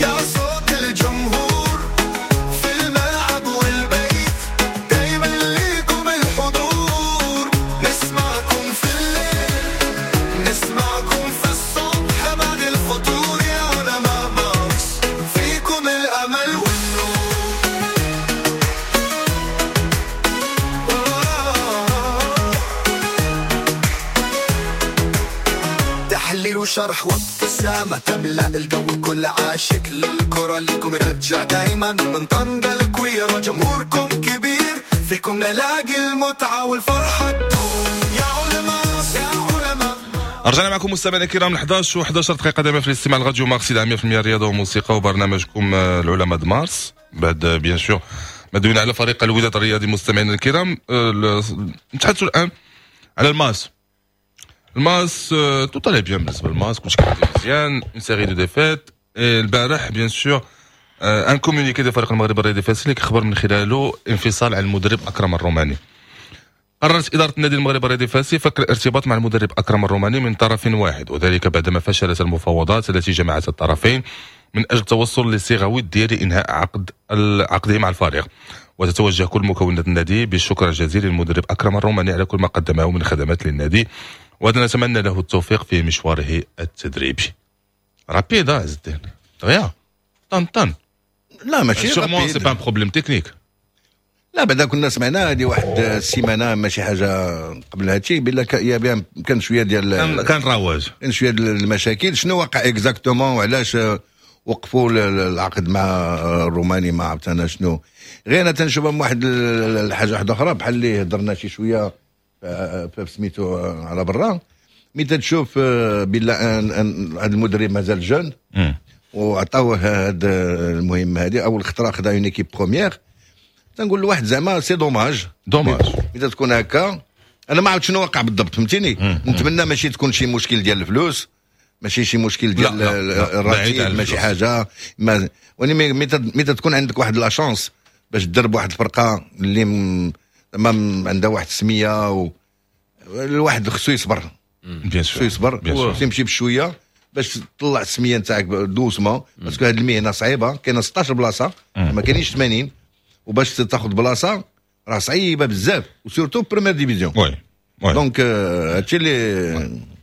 يا صوت الجمهور في الملعب والبيت دايما ليكم الحضور نسمعكم في الليل نسمعكم في الصبح بعد الفطور يا علماء مارس فيكم الأمل والنور. تحليل وشرح وابتسامة تملأ الجو كل عاشق للكرة لكم رجع دايما من طنجة الكويرة جمهوركم كبير فيكم نلاقي المتعة والفرحة تدوم يا علماء يا علماء. رجعنا معكم مستمعينا الكرام احد عشر وأحد عشر دقيقة دائما في الاستماع لراديو مارس مية بالمية رياضة وموسيقى وبرنامجكم العلماء د مارس. بعد bien sûr ما دوينا على فريق الوداد الرياضي مستمعينا الكرام، نتحدثوا الآن على الماس. الماس tout allait bien بالنسبة للماس، كلشي كان مزيان، une série de défaites. البارح bien sûr un communiqué ديال فريق المغرب الرياضي الفاسي اللي كيخبر من خلاله انفصال على المدرب اكرم الروماني. قررت إدارة النادي المغربي الرياضي الفاسي فك الارتباط مع المدرب أكرم الروماني من طرف واحد، وذلك بعدما فشلت المفاوضات التي جمعت الطرفين من أجل التوصل لصيغة ودية لإنهاء عقد عقده مع الفريق. وتتوجه كل مكونات النادي بالشكر الجزيل للمدرب أكرم الروماني على كل ما قدمه من خدمات للنادي، ونتمنى له التوفيق في مشواره التدريبي. rapide عز الدين دغيا طن طن. لا ماشي sûrement c'est pas un problème technique. لا بعدا كنا سمعنا هذه واحد السيمانة ماشي حاجة قبل هادشي بلا يا بيان كان شوية ديال كان رواج كان شوية ديال المشاكل. شنو وقع exactement وعلاش وقفوا العقد مع الروماني ما عرفت انا شنو. غير انا تنشوفها من واحد الحاجة واحدة اخرى بحال اللي هضرنا شي شوية في سميتو على برا، mais تشوف بلا هذا المدرب مازال jeune وعطاوه هذا المهمة هذه اول خطره خدا une équipe première، تنقول لواحد زعما c'est dommage. dommage. اذا تكون هكا انا ما عرفت شنو وقع بالضبط، فهمتيني؟ نتمنى ماشي تكون شي مشكل ديال الفلوس، ماشي شي مشكل ديال الراتب، ماشي حاجة ما، ولكن mais تكون عندك واحد la chance باش تدرب واحد الفرقة اللي ما عندها واحد السمية و الواحد خصو يصبر، خصو يصبر، خصو يمشي بشوية باش تطلع السمية نتاعك doucement، parce que هذه المهنة صعيبة، كاينه ستاش بلاصة ما كاينينش ثمانين، وباش تاخذ بلاصة راه صعيبة بزاف، و surtout première division. oui oui donc هادشي اللي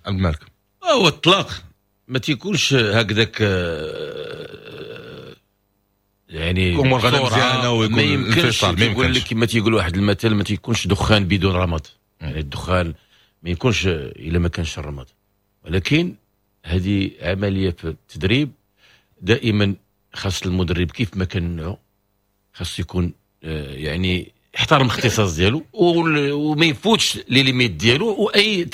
عبد الملك. هو الطلاق ما تيكونش هكذاك، يعني امور غادا مزيانه ويكون ما يمكنش. يقول لك كما تيقول واحد المثل، ما تيكونش دخان بدون رماد، يعني الدخان ما يكونش الا ما كانش الرماد. ولكن هذه عملية في التدريب، دائما خاص المدرب كيف ما كان نوعه خاص يكون يعني يحترم الاختصاص ديالو وما يفوتش les limites ديالو، واي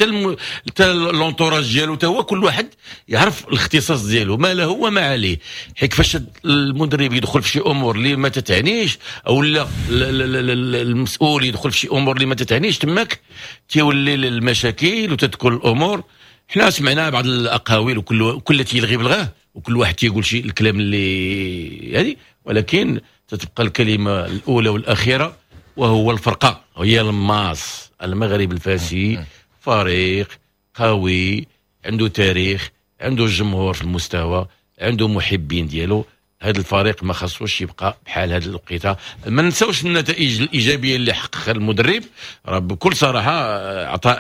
حتى l'entourage ديالو تا هو كل واحد يعرف الاختصاص ديالو ما له وما عليه. حيت فاش المدرب يدخل في شي امور اللي ما تتعنيش، او لا المسؤول يدخل في شي امور اللي ما تتعنيش، تماك تيولي المشاكل وتتكون الامور. حنا سمعنا بعض الاقاويل وكل كل تيلغي بلغاه وكل واحد تيقول شي الكلام اللي هذه، ولكن تتبقى الكلمة الاولى والاخيرة وهو الفرقة هي الماس. المغرب الفاسي فريق قوي، عنده تاريخ، عنده جمهور في المستوى، عنده محبين ديالو. هذا الفريق ما خصوش يبقى بحال هذه الوقيته. ما نساوش النتائج الايجابية اللي حققها المدرب، راه بكل صراحة عطى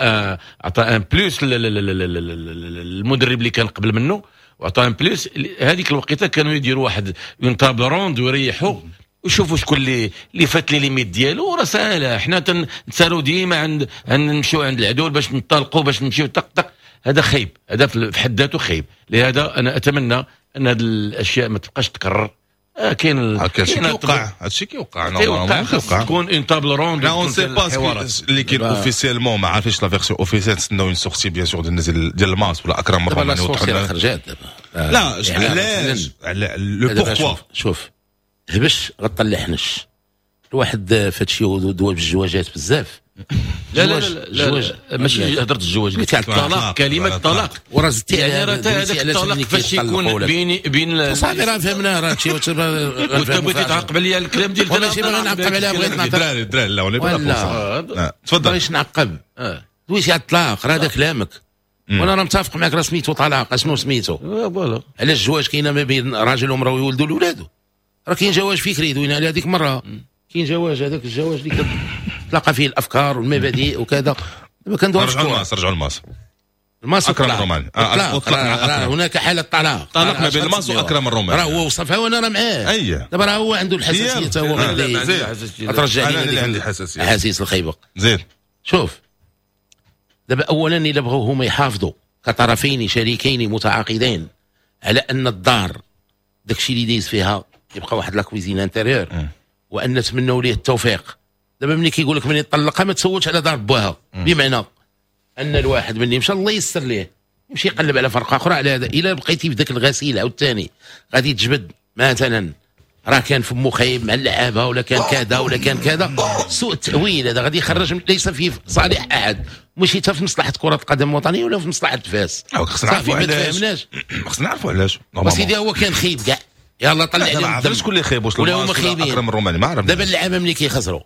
عطى un plus المدرب اللي كان قبل منه، وعطى un plus. هذيك الوقيته كانوا يديروا واحد une table ronde ويريحوا ويشوفوا شكون اللي اللي فات les limites ديالو. راه ساهله، حنا تنسالوا ديما عند نمشيو عند العدول باش نطلقوا باش نمشيو طق طق. هذا خايب، هذا في حد ذاته خايب. لهذا انا اتمنى ان هذه الاشياء ما تبقاش تكرر. آه كاين هادشي كيوقع، هادشي كيوقع. كيوقع، خاص تكون une table ronde. لا on sait pas اللي كاين officiellement، ما عارفينش la version officielle، نتسناو une sortie bien sûr ديال ديال الماس ولا اكرم الروماني. خرجات دابا. لا علاش le pourquoi؟ شوف، هبش غطلع حنش الواحد فهادشي دوا بالجواجات بزاف. لا لا لا, لا ماشي هضرت الزواج، قلت الطلاق، كلمة الطلاق. وراه زدتي يعني راه هذاك الطلاق فاش يكون بين بين صافي راه فهمنا، راه شي وانت بغيتي تعقب عليا الكلام ديال ماشي باغي نعقب عليها، بغيت نعقب. الدراري الدراري لا ولا تفضل. بغيتش نعقب، دويتي على الطلاق راه هذا كلامك وانا راه متفق معك، راه سميتو طلاق. اشنو سميتو؟ voilà. علاش الزواج كاينه ما بين راجل ومراة ويولدوا الاولاد؟ راه كاين جواز فكري دوينا على هذيك مرة، كاين جواز هذاك الجواز اللي تلاقى فيه الافكار والمبادئ وكذا. دابا كندوي رجعوا الماس، رجعوا الماس. الماس اكرم الروماني. آه هناك حاله طلاق، طلاق ما بين الماس واكرم الروماني. راه هو وصفها وانا راه معاه. اي دابا راه هو عنده الحساسية حتى هو غادي ترجع لي. انا عندي حساسية، احاسيس الخيبه. زيد شوف دابا، اولا الا بغاو هما يحافظوا كطرفين شريكين متعاقدين على ان الدار داكشي اللي دايز فيها يبقى واحد la cuisine intérieure، وان نتمنوا ليه التوفيق. دابا ملي كيقول لك من يطلقها ما تسولش على دار باها، بمعنى ان الواحد ملي مشى الله يسر ليه يمشي يقلب على فرقه اخرى. على هذا الا بقيتي في ذاك الغسيل عاوتاني غادي تجبد مثلا راه كان فمو خايب مع اللعابه ولا كان كذا ولا كان كذا، سوء التاويل هذا غادي يخرج ليس في صالح احد، ماشي حتى في مصلحة كره القدم الوطنية ولا في مصلحة فاس. خصنا نعرفوا علاش، خصنا نعرفوا علاش. سيدي هو كان خايب كاع، يلا طلع عليهم. ما عرفتش شكون اللي خايب، واش ولا هما خايبين. اكرم الروماني ما عرفنا. دابا اللعابه ملي كيخسروا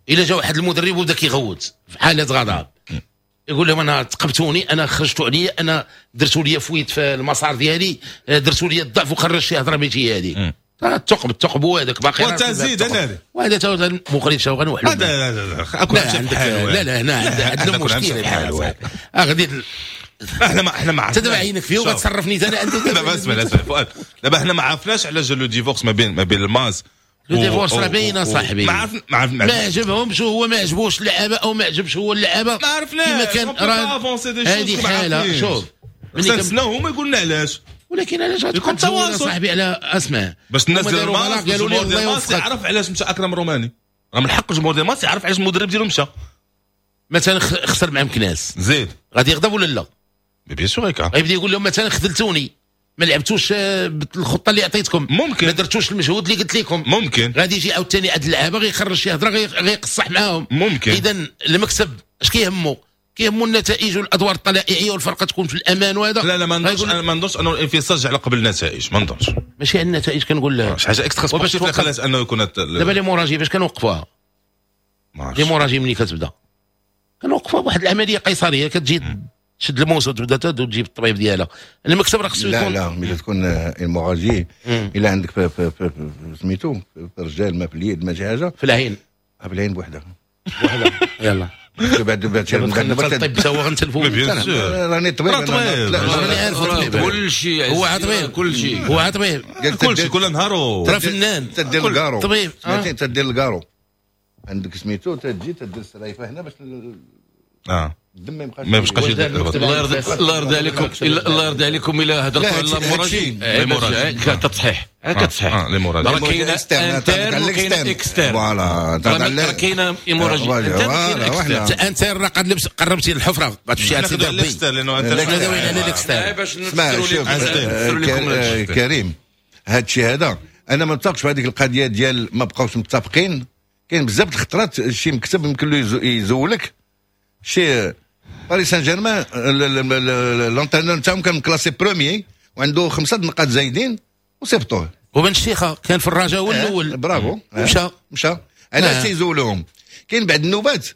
الا جا واحد المدرب وبدا كيغوت في حاله غضب يقول لهم انا تقبتوني، انا خرجتوا عليا، انا درتوا لي fuite في المسار ديالي، درتوا لي الضعف وخرج شي هضره ماشي هذه. الثقب الثقب هو هذاك باقي وتزيد انا وهذا تا مخرج شوغ غنوحلو. لا لا لا لا هنا عندنا مشكل. غادي احنا ما احنا ما عرفناش دابا عينك فيه وغتصرفني انا. دابا اسمع اسمع فؤاد، دابا احنا ما عرفناش علاش le divorce ما بين ما بين الماس. le divorce راه باينة صاحبي، ما عرف ما عرف ما عجبهمش، هو ما عجبوش اللعابه او ما عجبش هو اللعابه، ما عرفناش كما كان راه هذه حاله. شوف ملي كنتسناو هما يقولوا لنا علاش، ولكن علاش غتكون تواصل صاحبي على اسمع باش الناس ديال الماس قالوا لي الله يوفقك يعرف علاش مشى اكرم الروماني، راه من حق الجمهور ديال الماس يعرف علاش المدرب ديالو مشى. مثلا خسر مع مكناس زيد غادي يغضب ولا لا؟ bien sûr هيك غيبدا يقول لهم مثلا خذلتوني، ما لعبتوش بالخطة اللي عطيتكم، ممكن ما درتوش المجهود اللي قلت لكم، ممكن غادي يجي عاوتاني عند اللعابه غيخرج شي هضره غيقصح معاهم. ممكن. اذا المكسب اش كيهمو؟ كيهمو النتائج والادوار الطلائعيه والفرقة تكون في الامان وهذا. لا لا ما نظنش، انا ما نظنش انه الانفصال جا على قبل النتائج، ما نظنش. ماشي على النتائج كنقول لك شي حاجة extra-sportive اللي خلات انه يكون دابا l'hémorragie باش كنوقفوها، l'hémorragie ملي كتبدا كنوقفوها بواحد العملية قيصرية، كتجي تشد الموس وتبدا تجيب الطبيب ديالها. المكتب راه خصو يكون لا لا ملي تكون hémorragie الا عندك في, في, في, في سميتو في الرجال ما في اليد ما شي حاجة في العين، في العين بوحدها بوحدها يلا بعد بعد الطب تا هو غنتلفو. راني طبيب، راني عارف طبيب كل شيء، هو طبيب كل شيء، هو طبيب كل شيء كل نهار ترى فنان. تدير الكارو طبيب، تدير الكارو عندك سميتو، تجي تدير السرايفه هنا باش اه الدم ما يبقاش ما يبقاش. الله يرضي الله يرضي عليكم، الله يرضي عليكم الا هضرتوا على l'hémorragie كتصحيح كتصحيح l'hémorragie راه كاينه interne وكاينه externe. voilà راه كاينه hémorragie interne interne راه قد لبس قربتي للحفره غتمشي عند سيدي ربي لانه على l'externe. باش نفسروا لكم كريم هذا الشيء هذا انا ما متفقش في هذيك القضية ديال ما بقاوش متفقين. كاين بزاف الخطرات شي مكتب يمكن له يزولك شي. باريس سان جيرمان l'entraîneur نتاعهم كان classé premier وعنده خمسة نقاط زايدين وصيفطوه. وبن الشيخه كان في الرجاء هو الاول، برافو مشى مشى. علاش تيزولوهم؟ كاين بعد النوبات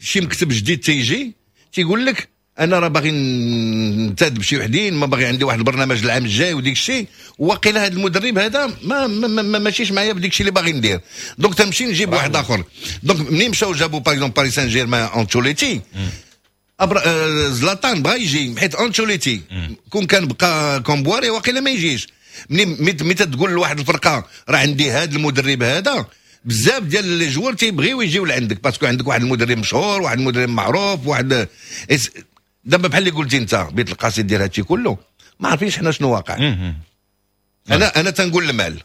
شي مكتب جديد تيجي تيقول لك انا راه باغي ننتدب شي وحدين، ما باغي عندي واحد البرنامج العام الجاي وديك الشيء، وقيل هذا المدرب هذا ما, ما, ما ماشيش معايا بديك الشيء اللي باغي ندير، donc تمشي نجيب واحد اخر. donc منين مشاو جابوا par exemple باريس سان جيرمان انشوليتي، أبر... آه زلاتان بغا يجي حيت انشوليتي كون كان بقى كومبواري وقيلا ما يجيش. منين ملي تقول لواحد الفرقة راه عندي هذا المدرب هذا، بزاف ديال les joueurs تيبغيو يجيو لعندك parce que عندك واحد المدرب مشهور، واحد المدرب معروف، واحد دابا بحال اللي قلتي انت بيت القصيد ديال هادشي كله ما عارفينش حنا شنو واقع. انا انا تنقول المال،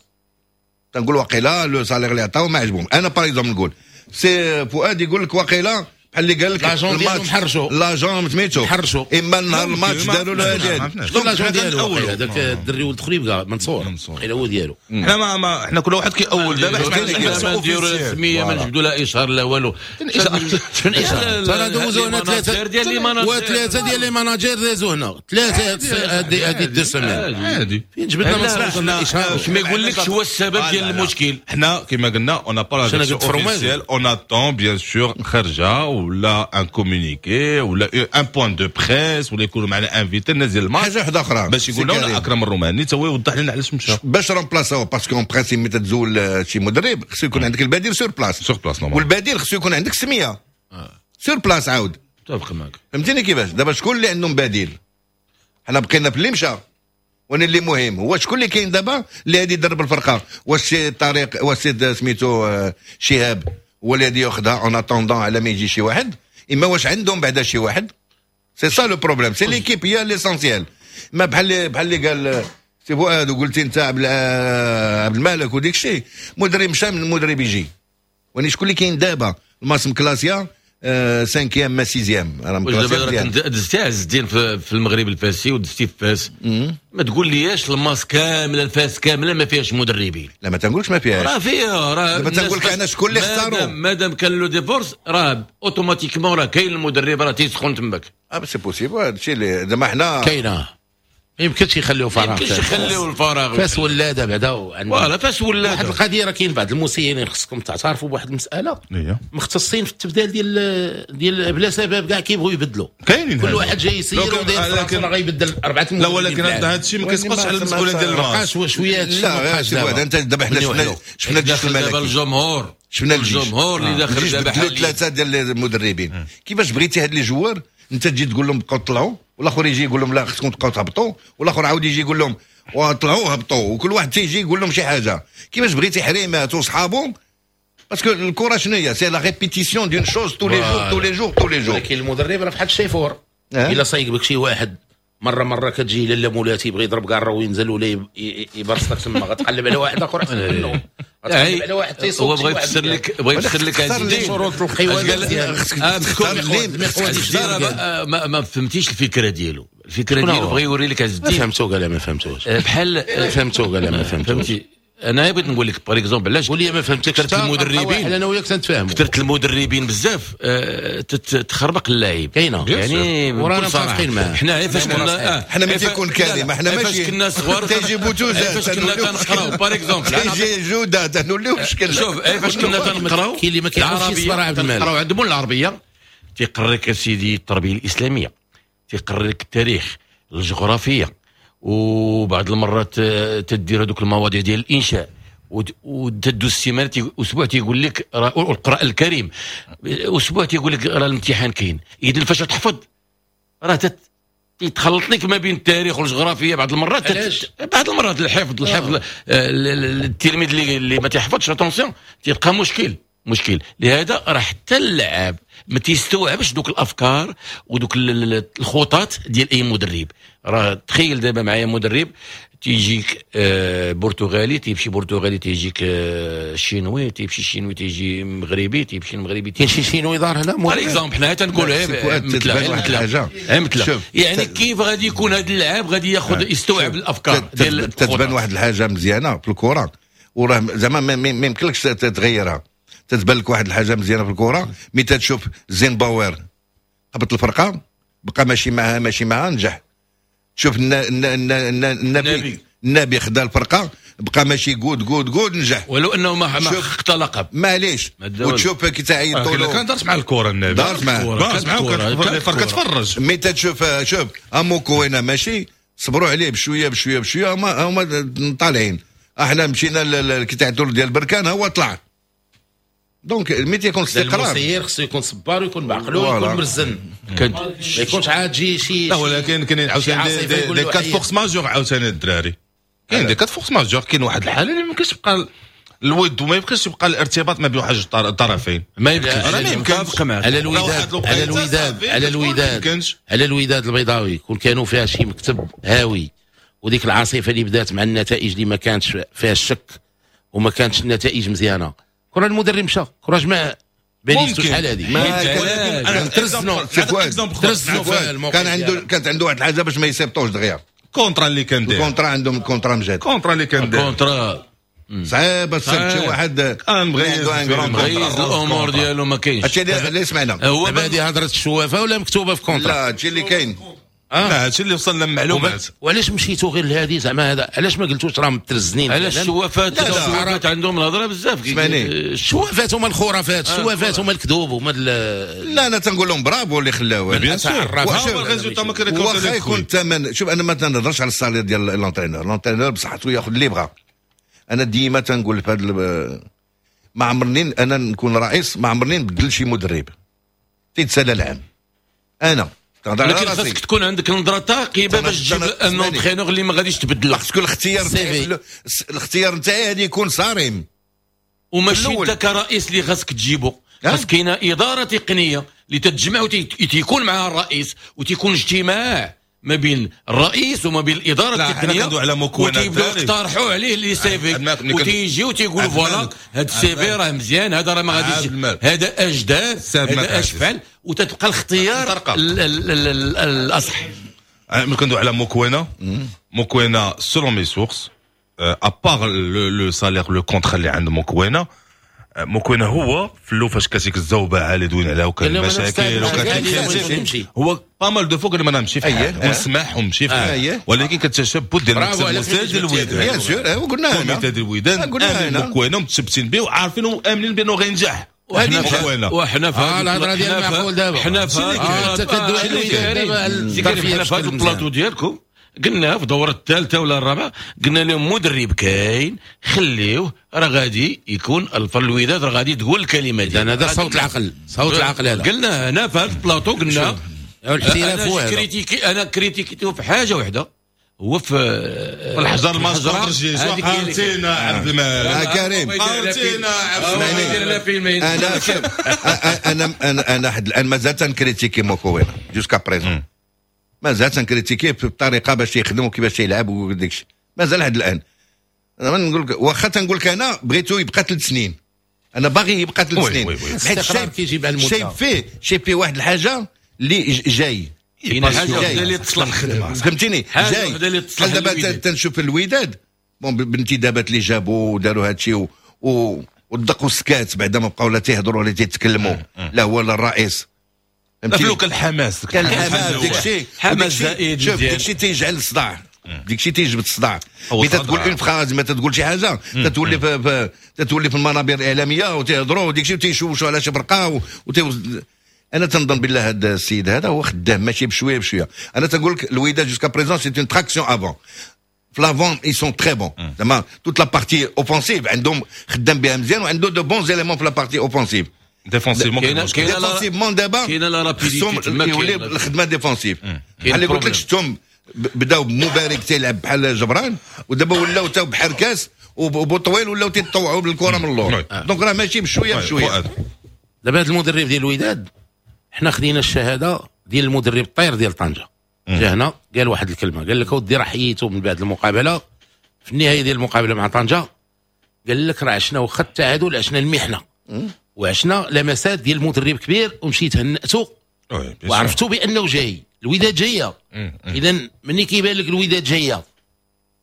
تنقول وقيلا le salaire اللي عطاو ما عجبهم. انا par exemple نقول سي فؤاد يقول لك وقيلا بحال اللي قال لك l'agent ديالو محرشو، l'agent سميتو محرشو، اما النهار الماتش داروا له هذه l'agent ديالو هذاك الدري ولد خريبكه منصور وقيلا هو ديالو. حنا ما, ما حنا كل واحد كيأول دابا، حنا ما نديروا السمية ما نجبدوا لا اشهار لا والو. شنو اشهار؟ ترى دوزو هنا ثلاثة وثلاثة ديال les managers دازو هنا ثلاثة هذه هذه deux semaines عادي. فين جبدنا منصور اشهار؟ ما يقولكش هو السبب ديال المشكل. حنا كما قلنا on n'a pas la officielle، on attend bien sûr خرجه ولا un communiqué ولا un point de presse ولا يكونوا معنا invité الناس ديال الماتش حاجة واحدة اخرى باش يقول لنا اكرم الروماني تا هو يوضح لنا علاش مشى باش رومبلاساو. parce que en principe ملي تزول شي مدرب خصو يكون عندك البديل sur place، sur place normal، والبديل خصو يكون عندك سميه sur place. عاود متفق معك. فهمتيني كيفاش؟ دابا شكون اللي عندهم بديل؟ حنا بقينا في اللي مشى، وانا اللي مهم هو شكون اللي كاين دابا اللي غادي يدرب الفرقة. واش سي طارق، واش سي سميتو شهاب هو اللي غادي ياخذها en attendant على ما يجي شي واحد، اما واش عندهم بعدا شي واحد؟ c'est ça le problème، c'est l'équipe هي l'essentiel. ما بحال بحال اللي قال سي فؤاد وقلتي انت عبد الملك وديك الشيء، مدرب مشى من المدرب يجي. وني شكون اللي كاين دابا؟ الماس مكلاسيا cinquième ما sixième راه مكلاسيا. دزتي عز الدين في المغرب الفاسي ودزتي في فاس، ما تقول لياش الماس كاملة الفاس كاملة ما فيهاش مدربين. لا ما تنقولش ما فيهاش، راه فيها. راه دابا تنقول لك انا شكون اللي اختاروا. مادام كان le divorce راه automatiquement راه كاين المدرب راه تيسخن تماك. اه c'est possible هادشي اللي زعما حنا كاينه، ما يمكنش يخليو فراغ، ما يمكنش يخليو الفراغ. فاس ولاده بعدا voilà فاس ولاده. واحد القضية راه كاين بعض المسيرين خصكم تعترفوا بواحد المسالة، مختصين في التبدال ديال ديال بلا سبب كاع كيبغيو يبدلوا. كاينين كل واحد جاي يسير وداير راه غيبدل اربعة. لا ولكن هذا الشيء ما كيسقطش على المسؤولية ديال الماتش. بقاش شوية. لا غير انت دابا حنا شفنا شفنا الجيش الملكي، الجمهور شفنا الجيش الجمهور اللي داخل دابا ثلاثة ديال المدربين. كيفاش بغيتي هاد les joueurs انت تجي تقول لهم بقاو طلعوا، والاخر يجي يقول لهم لا خصكم تبقاو تهبطوا، والاخر عاود يجي يقول لهم وطلعوا هبطوا، وكل واحد تيجي يقول لهم شي حاجة. كيفاش بغيتي حريمات وصحابهم؟ parce que الكره شنو هي؟ c'est la répétition d'une chose tous les jours tous les jours tous les jours. ولكن المدرب راه بحال الشيفور، الا صايق بك شي واحد مرة مرة كتجي لاله مولاتي يبغي يضرب كارو وينزل ولا يبرصك تما، غتقلب على واحد اخر احسن منه، غتقلب على واحد تيصوت. هو بغى يفسر لك، بغى يفسر لك هذا الشيء. شروط القوانين ما فهمتيش الفكرة ديالو. الفكرة ديالو بغى يوري لك عز الدين. ما فهمتو قال ما فهمتوش بحال فهمتو قال ما فهمتوش. فهمتي انا بغيت نقول لك par exemple علاش قول لي ما فهمتكش. كثرت المدربين انا وياك تنتفاهموا، كثرت المدربين بزاف تخربق اللاعب كاينه يعني ورانا متفقين معاه. حنا فاش كنا حنا ملي تيكون كلمة حنا ماشي فاش كنا صغار تيجي بوتوزه فاش كنا تنقراو par exemple تيجي جوده تنوليو بشكل. شوف فاش كنا تنقراو كاين اللي ما كيعرفش يصبر عبد الملك، تنقراو عندهم العربية تيقريك سيدي التربية الاسلامية، تيقريك التاريخ، الجغرافية، وبعض المرات تدير هذوك المواضيع ديال الانشاء، وتدوز السيمانة اسبوع تيقول لك القران الكريم، اسبوع تيقول لك راه الامتحان كاين. اذا فاش تحفظ راه تيتخلط لك ما بين التاريخ والجغرافيا بعض المرات. تت... بعض المرات الحفظ الحفظ التلميذ اللي اللي ما تيحفظش attention تيبقى مشكل مشكل. لهذا راه حتى اللاعب ما تيستوعبش دوك الافكار ودوك الخطط ديال اي مدرب. راه تخيل دابا معايا مدرب تيجيك برتغالي، تيمشي برتغالي، تيجيك شينوي، تيمشي شينوي، تيجي مغربي، تيمشي المغربي، كاين شي شينوي دار هنا par exemple. حنا تنقولوا مثلا مثلا مثلا يعني كيف غادي يكون هذا اللاعب غادي ياخذ يستوعب الافكار ديال. تتبان واحد الحاجة مزيانه في الكره وراه زعما ما يمكنلكش تتغيرها. تتبان لك واحد الحاجة مزيانه في الكره ملي تتشوف زين باور هبط الفرقة بقى ماشي معها ماشي معها نجح. شوف النبي النبي خدا الفرقة بقى ماشي good good good نجح، ولو انه ما ما حقق لقب معليش. وتشوف كي تعيطوا له كان دارت مع الكره النبي دارت معاه دارت معاه الفرقة تفرج. mais تتشوف شوف اموكوينا ماشي صبروا عليه بشوية بشوية بشوية هما هما طالعين. احنا مشينا كي تعيطوا ديال بركان هو طلع. donc ملي تيكون استقرار المسير خصو يكون صبار ويكون بعقلو ويكون مرزن، ما يكونش عاد جي شي. لا ولكن كاين عاوتاني des cas force majeure عاوتاني الدراري، كاين des cas force majeure. كاين واحد الحالة اللي ما يمكنش تبقى الود وما يمكنش يبقى الارتباط ما بين واحد الطرفين، ما يمكنش. على الوداد على الوداد على الوداد على الوداد البيضاوي كون كانوا فيها شي مكتب هاوي، وديك العاصفة اللي بدات مع النتائج اللي ما كانتش فيها الشك وما كانتش النتائج مزيانه، كره المدرب مشى، كره جمع باليستو شحال هذه. ترزنوا ترزنوا كان عنده كانت عنده واحد الحاجة باش ما يسيبطوش دغيا. contrat اللي كان داير، ال contrat عندهم ال contrat مجاد، contrat اللي كان داير contrat صعيب تصيب شي واحد مغيز مغيز الامور ديالو ما كاينش. هادشي اللي سمعنا هو هذه هضره الشوافه ولا مكتوبة في contrat؟ لا هادشي اللي كاين. لا هادشي اللي وصلنا للمعلومات. وعلاش مشيتو غير لهذه زعما هذا؟ علاش ما قلتوش راهم مترزنين؟ علاش الشوافات الشوافات عندهم الهضرة بزاف. الشوافات هما الخرافات، الشوافات هما الكذوب هما. لا انا تنقول لهم برافو اللي خلاوه bien sûr. واخا يكون الثمن. شوف انا ما تنهضرش على ال salaire ديال l'entraîneur، l'entraîneur بصحته ياخذ اللي بغا. انا ديما تنقول في هذا ما عمرني انا نكون رئيس ما عمرني نبدل شي مدرب تيتسالى العام. انا لكن خاصك تكون عندك نظره ثاقبة باش تجيب un entraîneur اللي ما غاديش تبدل. خاصك الاختيار الاختيار نتاعي غادي يكون صارم، وماشي انت كرئيس اللي خاصك تجيبو. خاص كاينه ادارة تقنية اللي تتجمع وتيكون معها الرئيس وتيكون اجتماع ما بين الرئيس وما بين الادارة التقنية، وتيبداو يقترحوا عليه les CV وتيجي وتيقولوا voilà هذا ال CV راه مزيان، هذا راه ما غاديش، هذا اش دار، هذا اش فعل، وتتبقى الاختيار الاصح. ملي كندوي على موكوينا، موكوينا selon mes sources à part le salaire le contrat اللي عند موكوينا، موكوينا هو في اللو فاش كاتيك الزوبعه اللي دوين عليها وكان المشاكل وكان هو pas mal de fois قال ما نمشي في حال ونسمح ونمشي في حال، ولكن كتشبت ديال المكتب المسير ديال الوداد bien sûr وقلنا هنا comité ديال الوداد امن موكوينا متشبتين به وعارفين وامنين بانه غينجح. وحنا وحنا في الهضرة ديال المعقول دابا، حنا في هذا البلاطو ديالكم قلنا في الدورة الثالثة ولا الرابعة قلنا لهم مدرب كاين خليوه راه غادي يكون الفر الوداد راه غادي تقول الكلمة ديالو. هذا صوت العقل، صوت العقل هذا قلنا هنا في هذا البلاطو. قلنا الاحتراف هو انا critiqué، انا critiqué تو في حاجة واحدة هو في الحجر الماسك. قارتينا عبد الملك كريم، قارتينا عبد الملك. انا انا انا انا حد الان مازال تن critiquer موكوينا jusqu'à présent، مازال تن critiquer بالطريقة باش يخدم وكيفاش يلعب وداك الشيء مازال لحد الان. انا نقول لك واخا تنقول لك انا بغيتو يبقى ثلاث سنين، انا باغي يبقى ثلاث سنين، حيت شايف فيه شايف فيه واحد الحاجة اللي جاي. كاين حاجة وحده اللي تصلح الخدمة، فهمتيني؟ جاي بحال دابا تنشوف الوداد bon بالانتدابات اللي جابوا وداروا هادشي و... والدق والسكات بعدا ما بقاو لا تيهضروا ولا تيتكلموا، لا هو لا الرئيس. فهمتي؟ كان الحماس، كان الحماس داكشي، حماس زائد، شوف داكشي تيجعل الصداع، داكشي تيجبد الصداع. ملي تتقول une phrase، ما تتقول شي حاجة تتولي في, في تتولي في المنابر الاعلامية وتيهضروا وداكشي وتيشوشوا على شي فرقه وتي... انا تنظن بالله هذا السيد هذا هو خدام ماشي بشوية بشوية. انا تنقول لك الوداد jusqu'à présent c'est une traction avant، في l'avant ils sont très bons، زعما toute la partie offensive عندهم خدام بها مزيان، وعنده de bons éléments في la partie offensive. défensivement défensivement دابا كاينه la rapidité، يولي الخدمة défensive. بحال اللي قلت لك شفتهم بداو بمبارك تيلعب بحال جبران، ودابا ولاو تا بحركاس وبوطويل ولاو تيتطوعوا بالكرة من اللور. donc راه ماشي بشوية بشوية. دابا هذا المدرب ديال الوداد حنا خدينا الشهادة ديال المدرب الطير ديال طنجه، جا هنا قال واحد الكلمة، قال لك اودي راه حييته من بعد المقابلة في النهاية ديال المقابلة مع طنجه، قال لك راه عشنا واخا التعادل عشنا المحنة وعشنا لمسات ديال المدرب كبير، ومشيت هنأته وعرفتو بانه جاي الوداد جاية. اذا مني كيبان لك الوداد جاية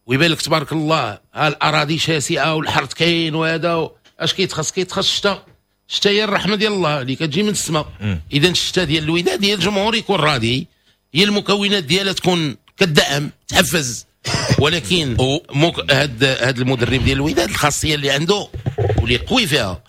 ويبان لك تبارك الله ها الاراضي شاسعه والحرث كاين وهذا، اش كيتخص؟ كيتخص الشتاء، الشتاء هي الرحمة ديال الله اللي كتجي من السماء. اذا الشتاء ديال الوداد ديال الجمهور يكون راضي، هي المكونات ديالها تكون كدعم تحفز. ولكن مك... هاد هاد المدرب ديال الوداد الخاصية اللي عنده واللي قوي فيها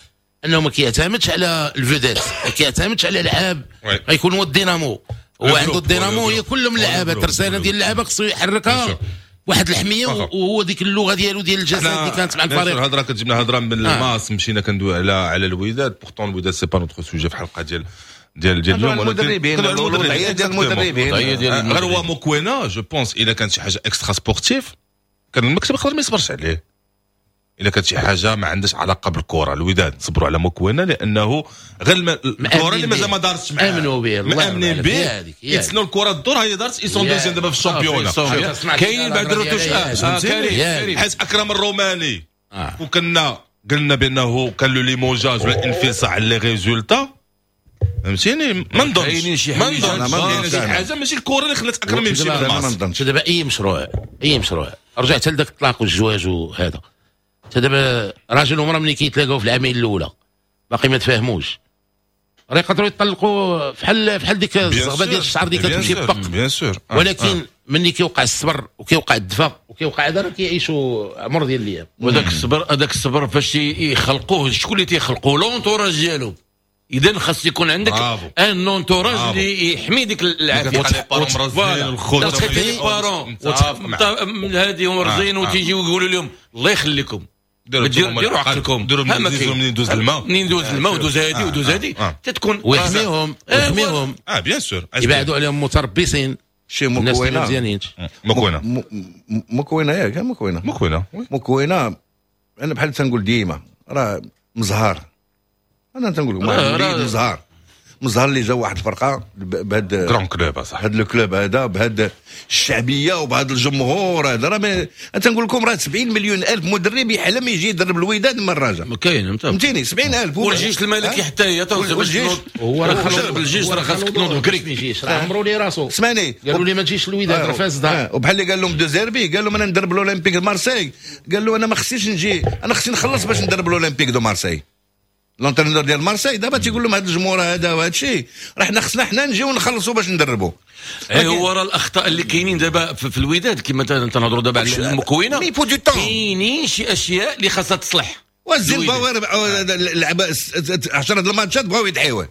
انه ما كيعتمدش على ال vedettes، ما كيعتمدش على لعاب غيكون هو الدينامو، هو عنده الدينامو هي كلهم لعابه، الترسانه ديال اللعابه خصو يحركها واحد الحمية، وهو ديك اللغة ديالو ديال الجسد اللي كانت مع الفريق. الهضرة كتجيبنا هضره من الماس، مشينا كندوي على على الوداد، pourtant الوداد c'est pas notre sujet في الحلقة ديال ديال ديال اليوم، المدربين الوضعية ديال المدربين. غير هو موكوينا je pense الا كانت شي حاجة extra-sportive كان المكتب يقدر ما يصبرش عليه. الا كانت شي حاجة ما عندهاش علاقة بالكرة، الوداد صبروا على موكوينا لانه غير الكره اللي مازال ما دارتش معاه، امنوا به، مامنين به، يتسنوا الكره تدور، هي دارت ils sont deuxièmes دابا في ال championnat. كاينين بعد ال retouches، حيت اكرم الروماني وكنا قلنا بانه كان le limogeage ولا انفصال على les résultats، فهمتيني؟ ما نظنش ما نظنش شي حاجة ماشي الكره اللي خلات اكرم يمشي للماس. دابا اي مشروع، اي مشروع رجعت لذاك الطلاق والزواج وهذا، دابا راجل ومراة ملي كيتلاقاو في العامين الاولى باقي ما تفاهموش، راه يقدروا يطلقوا فحال فحال ديك الزغبه ديال الشعر اللي كتمشي بق bien sûr. ولكن ملي كيوقع الصبر وكيوقع الدفا وكيوقع هذا راه كيعيشوا عمر ديال الايام. وذاك الصبر، هذاك الصبر فاش يخلقوه شكون اللي تيخلقوه؟ l'entourage ديالو. اذا خاص يكون عندك un entourage اللي يحمي ديك العافية. les parents هادي مرزين وتيجيو يقولوا لهم الله يخليكم ديروا عقلكم، ديروا منين دوز الماء، منين دوز الماء ودوز هادي ودوز هادي تتكون ويحميهم ويحميهم اه bien sûr، يبعدوا عليهم متربصين شي مكونة مزيانين. مكونة مكونة ياك مكونة مكونة مكونة. انا بحال تنقول ديما راه مزهار، انا تنقول لكم مزهار مزهر اللي جا واحد الفرقة بهاد grand club صح، هاد ال club هذا بهاد الشعبية وبهاد الجمهور هذا، راه انا تنقول لكم راه سبعين مليون الف مدرب يحلم يجي يدرب الوداد من الرجاء، ما كاين فهمتيني؟ سبعين ألف. والجيش الملكي حتى هي والجيش هو راه خلص الجيش، راه خاصك تنوض بكري، راه عمرو لي راسو. اسمعني، قالوا لي ما تجيش الوداد راه فاز دار، وبحال اللي قال لهم دو زيربي، قال لهم انا ندرب الاولمبيك مارسي، قال له انا ما خصنيش نجي، انا خصني نخلص باش ندرب الاولمبيك de Marseille. l'entraîneur ديال مارسي دابا تيقول لهم هذا الجمهور هذا وهذا الشيء راه حنا خصنا حنا نجيو نخلصوا باش ندربوا. اي هو راه الاخطاء اللي كاينين دابا في الوداد كما تنهضروا دابا على المكونة، كاينين شي اشياء اللي خاصها تصلح. والزيمباوي لعب عشرة الماتشات بغاو يدعيوه،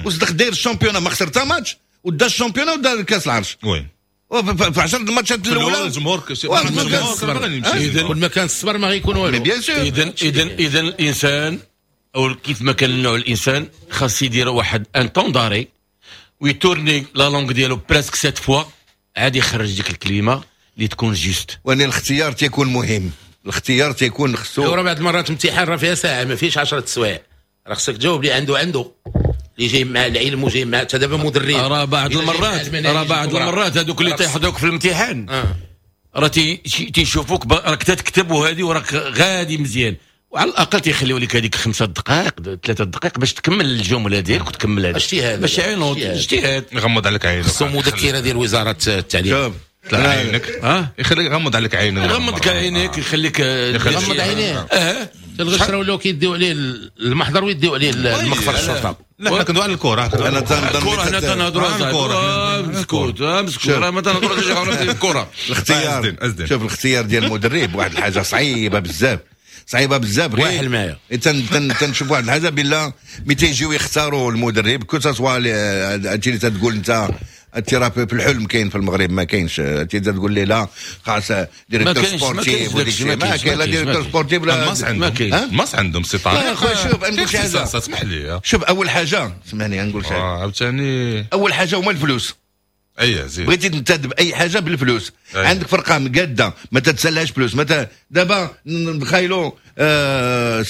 وصدق داير ال championnat ما خسر حتى ماتش، ودا ال championnat ودا كاس العرش. oui في عشرة الماتشات الاولى الجمهور كل ما كان الصبر ما غيكون والو. bien sûr. اذا اذا اذا الانسان او كيف ما كان النوع الانسان خاص يدير واحد un temps d'arrêt ويتورني la langue ديالو presque sept fois، عاد يخرج ديك الكلمة اللي تكون juste. وان الاختيار تيكون مهم، الاختيار تيكون خصو. راه بعض المرات امتحان راه فيها ساعة ما فيهش عشرة سوايع، راه خصك تجاوب اللي عنده عنده اللي جاي مع العلم وجاي مع حتى دابا مدرب. راه بعض المرات راه بعض المرات هذوك اللي تيحضروك في الامتحان راه تيشوفوك راك تكتب وهذه وراك غادي مزيان، وعلى الاقل تيخليو لك هذيك خمسة دقائق ثلاثة دقائق باش تكمل الجملة ديالك وتكمل هذا اجتهاد باش يعينوك اجتهاد. يغمض عليك عينك. خصو مذكره ديال وزارة التعليم. طلع عينك اه يخليك يغمض عليك عينك. يغمض عينيك يخليك يغمض عينيه. اه الغش راه ولاو كيديو عليه المحضر ويديو عليه المخفر الشرطة. لا حنا كندوي على الكره. انا تنظن الكره حنا تنهضروا على الكره. مسكوت مسكوت راه ما تنهضروش على الكره. الاختيار شوف الاختيار ديال المدرب واحد الحاجة صعيبة بزاف صعيبة بزاف. غير معايا تنشوف واحد الحاجة بالله ملي تيجيو يختاروا المدرب que ce soit هادشي اللي تتقول انت راه في الحلم كاين في المغرب ما كاينش. انت تقول لي لا خاص directeur sportif وديك الشيء ما كاين لا directeur sportif لا ما كاين. ماس عندهم سي طارق. خويا شوف نقول شي حاجة اسمح لي. شوف اول حاجة اسمعني نقول شي حاجة عاوتاني. اول حاجة هما الفلوس. اي زيد بغيتي تنتدب اي حاجة بالفلوس. أي. عندك فرقه مقاده ما تتسالهاش فلوس. ما دابا نتخيلوا آه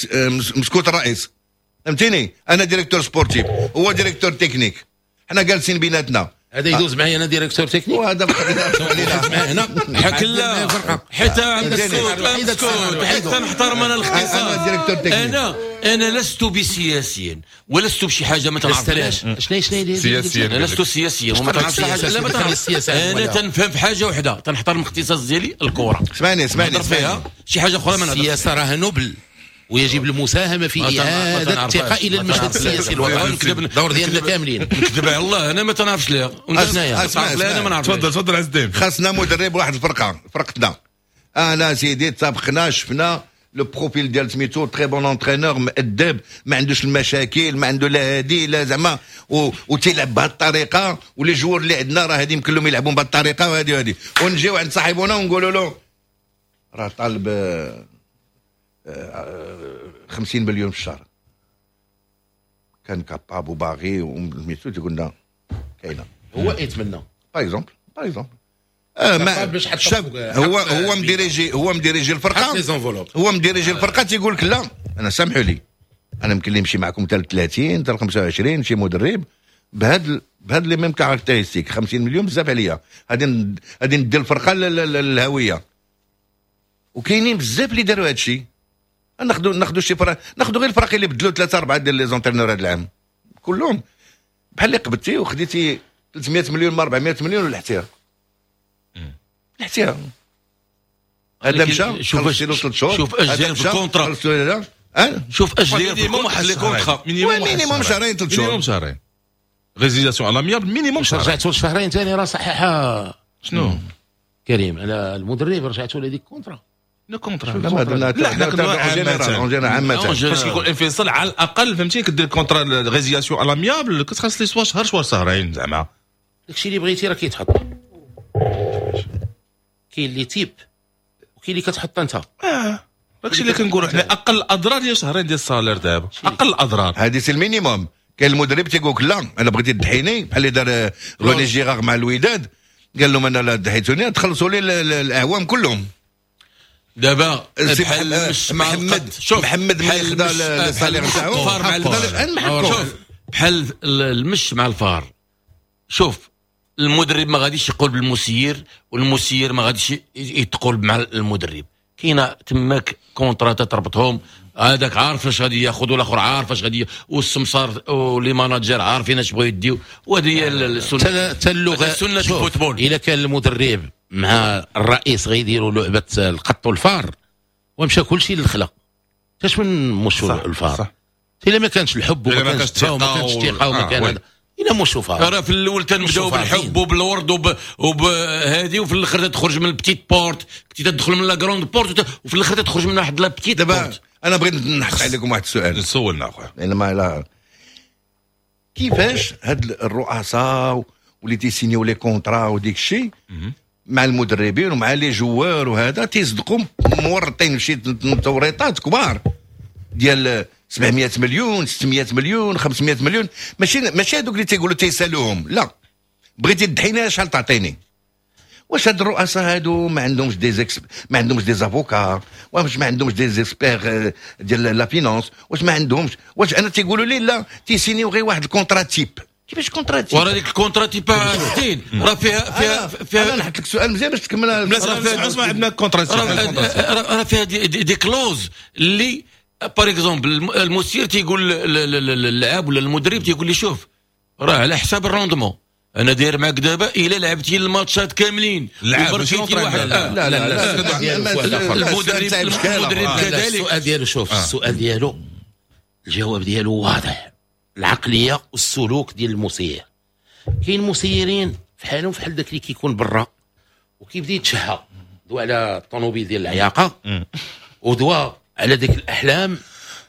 مسكوت الرئيس فهمتيني. انا directeur sportif هو directeur technique حنا جالسين بيناتنا. هذا يدوز معايا انا directeur technique وهذا معاه هنا حك لا حتى مسكوت حتى نحترم انا الاختصاص. انا انا لست بسياسي ولست بشي حاجة ما تنعرفهاش. شنو شنو سياسيا؟ انا لست سياسيا وما تنعرفش حاجة. لا ما تنعرفش. انا تنفهم في حاجة وحده تنحترم الاختصاص ديالي الكره. اسمعني اسمعني فيها شي حاجة اخرى ما نهضرش. السياسة راه نبل ويجب المساهمة في اعاده الثقة الى المشهد السياسي الوطني. الدور ديالنا كاملين. نكذب على الله انا ما تنعرفش ليها. اسمع انا ما نعرفش. تفضل تفضل عز الدين. خاصنا مدرب واحد الفرقة فرقتنا. انا سيدي اتفقنا شفنا le profil ديال سميتو très bon entraîneur مؤدب ما عندوش المشاكل ما عنده لا هادي لا زعما وتيلعب بهذه الطريقة و les joueurs اللي عندنا راه هادي يمكن لهم يلعبون بهذه الطريقة وهادي وهادي. ونجيو عند صاحبنا ونقولوا له راه طالب خمسين مليون في الشهر كان capable وباغي وميتو تقول لنا كاينه هو يتمنى par exemple par exemple ما شاف هو هو مديريجي هو مديريجي الفرقة هو مديريجي الفرقة تيقول لك لا انا سامحوا لي انا يمكن لي نمشي معكم حتى ثلاثين حتى خمسة وعشرين شي مدرب بهاد بهاد les mêmes caractéristiques خمسين مليون بزاف عليا غادي غادي ندير الفرقة للهوية. وكاينين بزاف اللي داروا هذا الشيء. ناخذوا ناخذوا شي فرق ناخذوا غير الفرق اللي بدلوا ثلاثة اربعة ديال les entraîneurs هذا العام كلهم بحال اللي قبضتي وخديتي ثلاثمية مليون ما أربعمية مليون ولحتيها لحتيها. هذا مشى شوف ثلاث شهور شوف اش داير في ال contrat شوف اش داير في ال contrat minimum شهرين ثلاث شهور minimum شهرين résiliation à l'amiable minimum شهرين. رجعتوا شهرين ثاني راه صحيحه. شنو كريم على المدرب رجعتوا لهذيك ال contrat le contrat. لا لا حنا كندوي en عامة فاش كيكون انفصال على الاقل فهمتي كدير contrat résiliation à l'amiable كتخلص لي soit شهر soit شهرين زعما داكشي اللي بغيتي راه كيتحط. كاين اللي type وكاين اللي كتحط انت. اه داكشي اللي كنقولوا حنا اقل اضرار ديال شهرين ديال ال salaire دابا اقل اضرار. هذه c'est ال minimum. كاين المدرب تيقول لك لا انا بغيتي تضحيني بحال اللي دار روني جيرار مع الوداد قال لهم انا لا ضحيتوني تخلصوا لي الاعوام كلهم. دابا بحال محمد شوف محمد ملي خدا ال salaire تاعو شوف بحال المش مع الفار. شوف المدرب ما غاديش يقول بالمسير والمسير ما غاديش يتقول مع المدرب. كاينه تماك contrat تربطهم هذاك عارف اش غادي ياخذ والاخر عارف اش غادي والسمسار و les managers عارفين اش بغاو يديو. وهذه هي السنة حتى اللغة سنة ال football. الا كان المدرب مع الرئيس غيديروا لعبه القط والفار ومشى كل شيء للخلا كاش من مشو الفار الا ما كانش الحب وما كانش الثقة وما كانش الثقة وما كان هذا الا مشو فار. راه في الاول تنبداو بالحب وبالورد وب... وبهادي وفي الاخر تخرج من ال petite porte كنتي تدخل من la grande porte وفي الاخر تخرج من واحد la petite porte. انا بغيت نحط عليكم واحد السؤال. سولنا اخويا لان ما لا كيفاش هاد الرؤساء واللي تيسينيو les contrats وديك الشيء مع المدربين ومع les joueurs وهذا تيصدقوا مورطين في شي توريطات كبار ديال سبعمية مليون ستمية مليون خمسمية مليون. ماشي ماشي هذوك اللي تيقولوا تيسالوهم لا بغيتي تضحيني شحال تعطيني. واش هاد الرؤساء هادو ما عندهمش des ex ما عندهمش des avocats واش ما عندهمش des experts ديال la finance واش ما عندهمش واش انا تيقولوا لي لا تيسينيو غير واحد ال contrat type. كيفاش contrat type؟ ورا ديك ال contrat type ستين راه فيها فيها فيها انا نحط لك سؤال مزيان باش تكمل. لا اسمع عندنا contrat type راه فيها des, des, des clauses اللي par exemple المسير تيقول للاعب ولا المدرب تيقول لي شوف راه على حساب ال rendement، انا داير معاك دابا الا لعبتي الماتشات كاملين وبركيتي واحد. لا لا لا المدرب المدرب كذلك. السؤال ديالو شوف السؤال ديالو الجواب ديالو واضح، العقلية والسلوك ديال المسير. كاين مسيرين فحالهم فحال داك اللي كيكون برا وكيبدا يتشهى، دوا على الطوموبيل ديال العياقه ودوا على ديك الاحلام،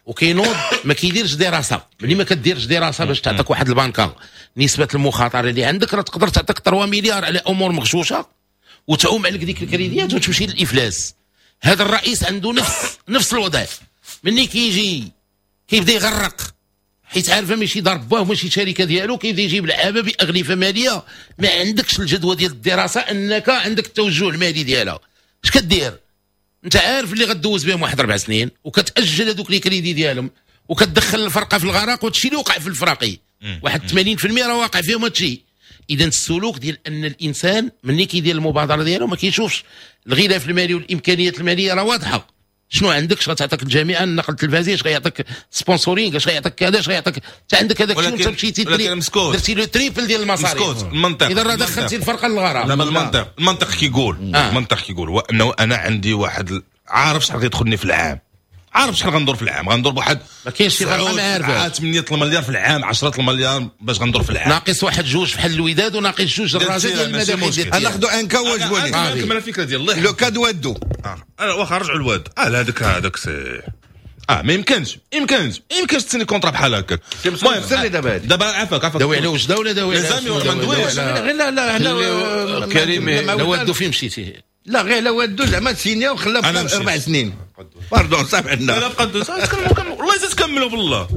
وكينوض ما كيديرش دراسة. ملي ما كديرش دراسة باش تعطيك واحد البنكه نسبه المخاطرة اللي عندك راه تقدر تعطيك ثلاثة مليار على امور مغشوشه وتعوم عليك ديك الكريديات وتمشي للافلاس. هذا الرئيس عنده نفس نفس الوضع، ملي كيجي كيبدا يغرق حيت عارفه ماشي دار باه وماشي شركة ديالو، كيبدا يجيب لعابه باغلفه ماليه ما عندكش الجدوى ديال الدراسة انك عندك التوجه المالي ديالها. اش كدير؟ انت عارف اللي غدوز بهم واحد اربع سنين وكتاجل هذوك les crédits ديالهم وكتدخل الفرقة في الغرق، وهادشي اللي وقع في الفراقي واحد ثمانين بالمية راه واقع فيهم هادشي. اذا السلوك ديال ان الانسان ملي كيدير المبادرة ديالو ما كيشوفش الغلاف المالي والامكانيات المالية راه واضحة، شنو عندك، اش غتعطيك الجامعة، النقل التلفزيوني، اش غيعطيك sponsoring، اش غيعطيك كذا، اش غيعطيك انت عندك هذاك الشيء، وانت مشيتي درتي le triple ديال المصاريف. مسكوت المنطق. اذا راه دخلتي الفرقة للغرام. لا المنطق المنطق كيقول آه. المنطق كيقول هو انه انا عندي واحد عارف شحال غيدخلني في العام، عارف شحال غندور في العام، غندور بواحد ما كاينش شي فرقه ما عارفه ثمانية المليار في العام، عشرة المليار باش غندور في العام، ناقص واحد جوج بحال الوداد وناقص جوج الرجاء ديال المداخل. انا ناخذ un cas واجبوني نكمل الفكرة ديال الله le cas وادو. اه واخا رجعوا الواد اه هذاك هذاك c'est اه ما يمكنش يمكنش يمكنش تسني contrat بحال هكاك. المهم سير دابا دابا عافاك عافاك داوي على وجده ولا داوي على ما ندويش غير لا لا كريم لا وادو فين مشيتي؟ لا غير لا وادو زعما سينيا وخلاه اربع سنين pardon صافي عندنا. لا بقى تكملوا والله اذا تكملوا بالله.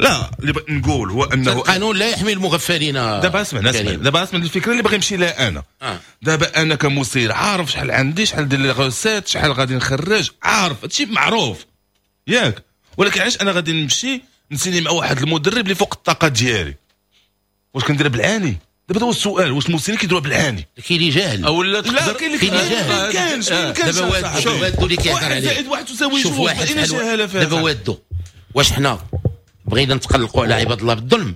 لا اللي بغيت نقول هو انه القانون لا يحمي المغفلين. دابا اسمع اسمع دابا اسمع الفكرة اللي باغي نمشي لها انا. آه. دابا انا كمسير عارف شحال عندي، شحال ديال les recettes، شحال غادي نخرج، عارف هادشي معروف ياك، ولكن علاش انا غادي نمشي نسيني مع واحد المدرب اللي فوق الطاقة ديالي؟ واش كنديرها بالعاني؟ دابا هو السؤال، واش المسيرين كيديروها بالعاني؟ كاين اللي جاهل او لا لا كاين اللي ما كانش ما يمكنش. دابا وادو اللي كيهضر عليه واحد زائد واحد تساوي جوج، واحد جهالة فيها. دابا وادو واش حنا بغينا نتقلقوا على عباد الله بالظلم؟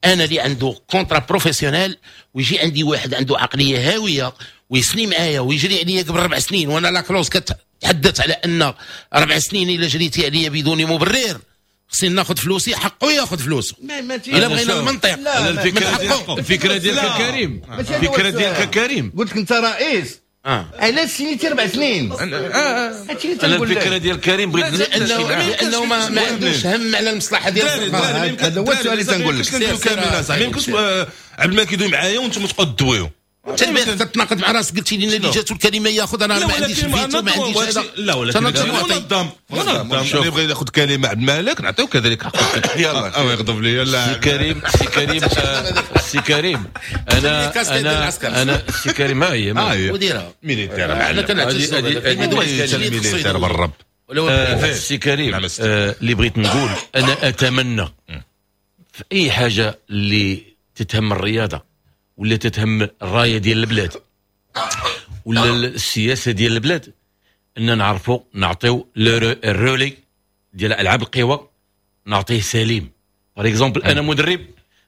انا اللي عنده contrat professionnel ويجي عندي واحد عنده عقلية هاوية ويسني معايا ويجري عليا قبل ربع سنين، وانا la clause كتحدث على ان ربع سنين الا جريتي عليا بدون مبرر خصني ناخذ فلوسي، حقه ياخذ فلوسه. الا بغينا المنطق. الفكرة الفكرة ديالك كريم، الفكرة ديالك كريم، قلت لك انت رئيس علاش سنيتي اربع سنين؟ هادشي اللي تنقول لك. الفكرة ديال كريم بغيت لانه لانه ما, ما عندوش هم على المصلحة ديال الفرقة. هذا هو السؤال اللي تنقول لك. ما يمكنش عبد الملك يدوي معايا وانتم تبقاو تدويو. انت البارح تتناقض مع راسك، قلتي لنا اللي جاتو الكلمة ياخذ، انا ما عنديش الفيتو ما عنديش هذا. لا ولكن منظم منظم، اللي يبغي ياخذ كلمة عبد الملك نعطيو كذلك حقه. يلا او يغضب لي. لا سي كريم سي كريم سي كريم انا انا انا سي كريم ها هي وديرها militaire معلم. militaire بالرب. سي كريم اللي بغيت نقول انا اتمنى في اي حاجة اللي تتهم الرياضة ولا تتهم الراية ديال البلاد ولا السياسة ديال البلاد ان نعرفوا نعطيو ال relais ديال العاب القوى نعطيه سليم. par exemple انا مدرب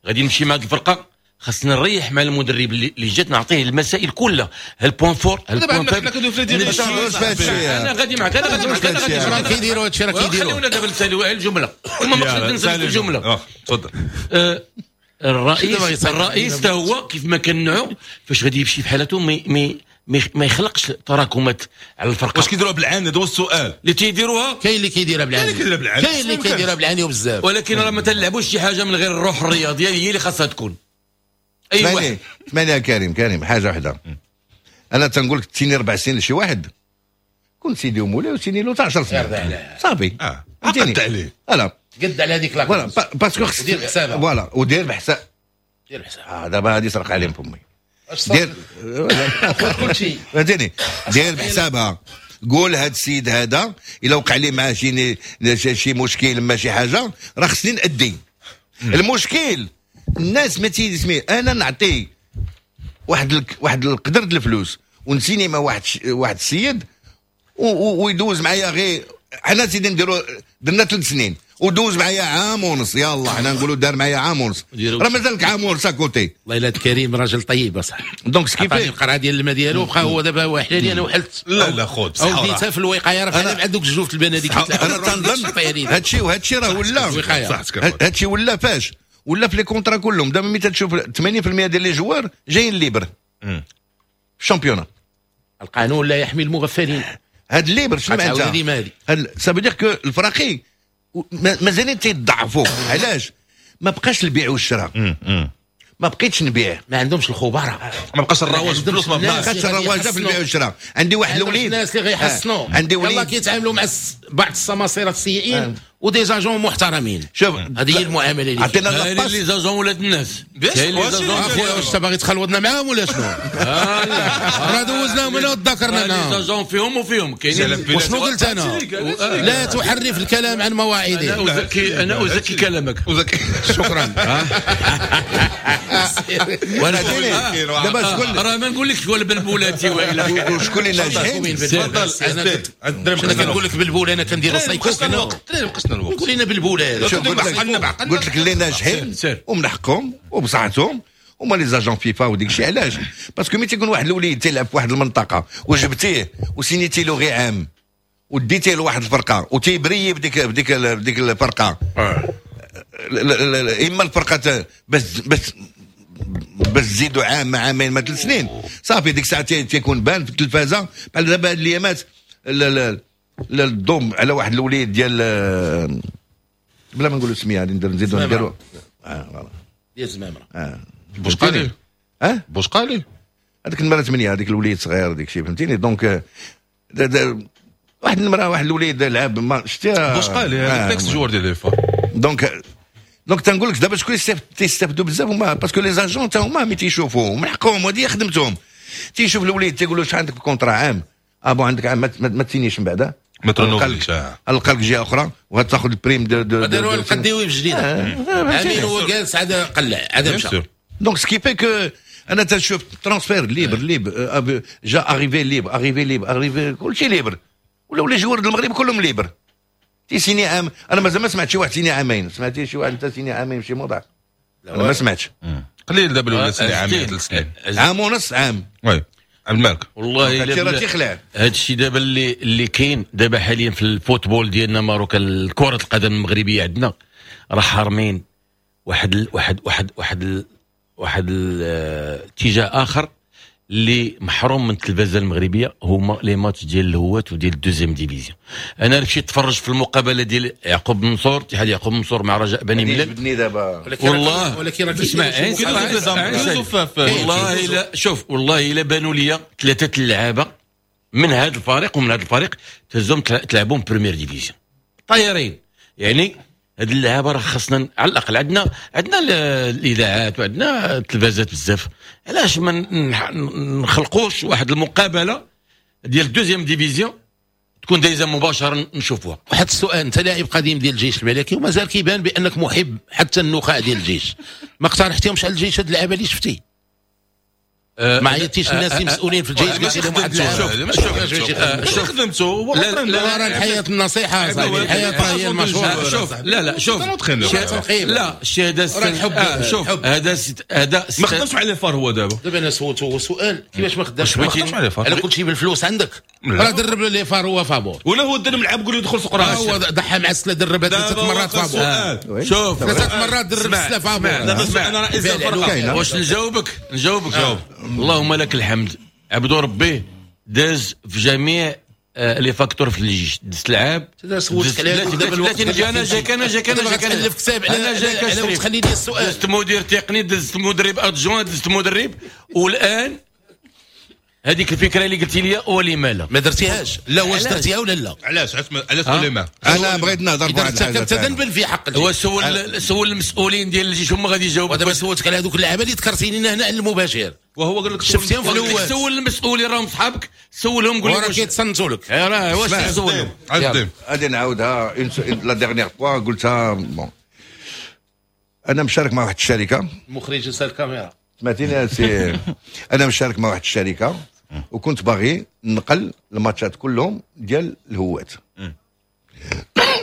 غادي نمشي مع هذه الفرقة، خاصني نريح مع المدرب اللي جات نعطيه المسائل كلها، ال point fort ال point faible. انا غادي معك انا غادي معك انا غادي معك. كيديروا هادشي راه كيديروا. خليونا دابا نساليو الجملة وما مقصود نسالي الجملة. تفضل. الرئيس الرئيس تا هو كيف ما كنعو فاش غادي يمشي في حالته ما ما يخلقش تراكمات على الفرقة. واش كيديروها بالعاني؟ هذا هو السؤال اللي تيديروها. كاين اللي كيديرها بالعاني، كاين اللي كيديرها بالعاني وبزاف، ولكن راه ما تلعبوش شي حاجة من غير الروح الرياضية هي اللي خاصها تكون. اي واحد ثمانية كريم كريم حاجة واحدة، انا تنقول لك تسيني اربع سنين لشي واحد كون سيدي ومولاي وسيني له عشر سنين صافي. اه عقدت عليه voilà قد على هذيك la voilà parce que خص ودير بحسابها voilà ودير بحساب دير بحساب. اه دابا هادي سرق عليهم فمي دير كلشي فهمتيني دير بحسابها. قول هاد السيد هذا الا وقع لي معاه شي شي مشكل ما شي حاجة راه خصني نأدي المشكل. الناس ما تيسمي انا نعطي واحد ال... واحد القدر ديال الفلوس ونسيني مع واحد ش... واحد السيد و... ويدوز معايا غير حنا سيدي نديروا درنا ثلاث سنين ودوز معايا عام ونص، يلا حنا نقولوا دار معايا عام ونص، راه مازالك عام ونص à côté. والله الا كريم راجل طيب اصاحبي. donc ce qui fait القرعة ديال الماء ديالو بقى هو دابا واحله لي انا وحلت. لا لا خذ او ديتها في الوقاية راه بحال بحال دوك الجوف البنادق. انا تنظن هادشي وهادشي راه ولا هادشي ولا فاش ولا في les contrats كلهم. دابا ملي تشوف ثمانين بالمية ديال les joueurs جايين libres في ال championnat. القانون لا يحمي المغفلين. هاد libre شنو معناتها؟ هاد ça veut dire que الفراقي مازالين تيضعفوا. علاش؟ ما بقاش البيع والشراء، ما بقيتش نبيع، ما عندهمش الخبراء، ما بقاش الرواج الفلوس، ما بقاش الرواج في البيع والشراء. عندي واحد الوليد، الناس اللي غيحسنوا، عندي وليد يلاه كيتعاملوا مع بعض السماسره السيئين و des agents محترمين. شوف هذه هي المعاملة اللي عطينا les agents ولاد الناس. اخويا واش باغي تخلوضنا معاهم ولا شنو؟ راه دوزناهم انا وتذكرنا les agents فيهم وفيهم كاينين. وشنو قلت انا؟ لا تحرف الكلام عن مواعيده. انا ازكي انا ازكي كلامك. شكرا. وانا دابا شكون راه ما نقولكش ولا بالبولاتي والا شكون اللي ناجحين. تفضل. انا كنقول لك بالبول، انا كنديرو سايكو. نقصنا الوقت، قول لنا بالبول. قلت لك اللي ناجحين ومن حقهم وبصحتهم هما les agents FIFA وديك الشيء. علاش؟ parce que ملي تيكون واحد الوليد تيلعب في واحد المنطقة وجبتيه وسينيتي له غير عام وديتيه لواحد الفرقة وتيبري بديك بديك بديك الفرقة، اما الفرقة بس بس بس تزيدوا عام مع عامين ما ثلاث سنين صافي، ديك الساعة تيكون بان في التلفازه. بحال دابا هاد الايامات الضم على واحد الوليد ديال بلا ما نقولوا سميه غادي نزيدو نديرو اه ديال زمامرة اه بوشقالي اه بوشقالي هذيك النمرة ثمانية، هذيك الوليد صغير ديك الشيء فهمتيني. donc واحد النمرة واحد الوليد لعب ما شتي بوشقالي هذاك ال joueur ديال les FAR. donc donc تنقول لك دابا شكون تيستافدوا بزاف هما parce que les agents تا هما ملي تيشوفوا من حقهم وهذه خدمتهم. تيشوف الوليد تيقول له شحال عندك contrat عام، اه bon عندك عام ما تسينيش من بعدا ما ترونوفليش، القى لك جهة اخرى وغتاخذ ال prime de de داروا القديوي في جديدة امين هو جالس عاد قلع عاد مشى. donc ce qui fait que انا تنشوف transfert libre libre جا arrivée libre arrivée libre arrivée كلشي libre، ولاو les joueurs المغرب كلهم libres. تيسيني عام، انا مازال ما سمعت شي واحد سيني عامين، سمعتي شي واحد انت سيني عامين شي موضع؟ انا ما سمعتش. قليل دابا ولا سيني عامين ثلاث سنين عام ونص عام. oui المالك والله الا هذا الشيء دابا اللي اللي كاين دابا حاليا في ال football ديالنا marocain، كرة القدم المغربية عندنا راه حارمين واحد ال واحد واحد واحد ال واحد الاتجاه اخر اللي محروم من التلفزة المغربية، هما les matchs ديال الهواة وديال ال deuxième division. انا مشيت نتفرج في المقابلة ديال يعقوب منصور، اتحاد يعقوب منصور مع رجاء بني ملال دابا والله ولكن اسمع والله الا شوف والله الا بانوا لي ثلاثة اللعابه من هذا الفريق ومن هذا الفريق تهزهم تلعبهم première division طايرين. يعني هاد اللعابه راه خاصنا على الاقل عندنا عندنا الاذاعات وعندنا التلفازات بزاف، علاش ما نخلقوش واحد المقابلة ديال ال deuxième division تكون دايزه مباشرة نشوفوها. واحد السؤال، انت لاعب قديم ديال الجيش الملكي ومازال كيبان بانك محب حتى النخاع ديال الجيش، ما اقترحتيهمش على الجيش هاد اللعابه اللي شفتي؟ أه ما عيطتيش الناس اللي مسؤولين في الجيش قلت لهم واحد شوف شوف خدمته لا راه الحياة النصيحة صاحبي، الحياة هي المشروع. شوف لا لا شوف لا الشهادة شوف هذا هذا ما خدمش مع les FAR هو دابا. دابا انا سولته سؤال كيفاش ما خدمش ما خدمش مع les FAR؟ على كلشي بالفلوس عندك راه درب les FAR هو فابور، ولا هو درب لعب قول يدخل سوق راسه، هو ضحى مع السلة دربها ثلاث مرات فابور. شوف ثلاث مرات درب السلة فابور. دابا انا رئيس الفرقة واش نجاوبك؟ نجاوبك جاوب. اللهم لك الحمد، عبدو ربي داز في جميع les facteurs في الجيش، دز لعاب دابا انا جاك انا جاك انا جاك انا كتاب انا جاك تخلي لي السؤال. دزت مدير تقني، دزت مدرب adjoint، دزت مدرب، والان هذيك الفكرة اللي قلتي لي ولما لا ما درتيهاش. لا واش درتيها ولا لا؟ علاش علاش ولما؟ انا بغيت نهضر بواحد الحاجة. ارتكبت ذنبا في حق الجيش. هو سول سول المسؤولين ديال الجيش هما غادي يجاوبوا. ودابا سولتك على هذوك اللعابه اللي ذكرتيني هنا على المباشر، وهو قال لك شفتيهم في الاول. سول المسؤولين راهم صحابك، سولهم قول لهم راه كيتصنتوا لك. راه واش تسولهم؟ غادي نعاودها la dernière fois قلتها. bon انا مشارك مع واحد الشركة، المخرج نسى الكاميرا سمعتيني سي انا مشارك مع واحد الشركة وكنت باغي نقل الماتشات كلهم ديال الهوات.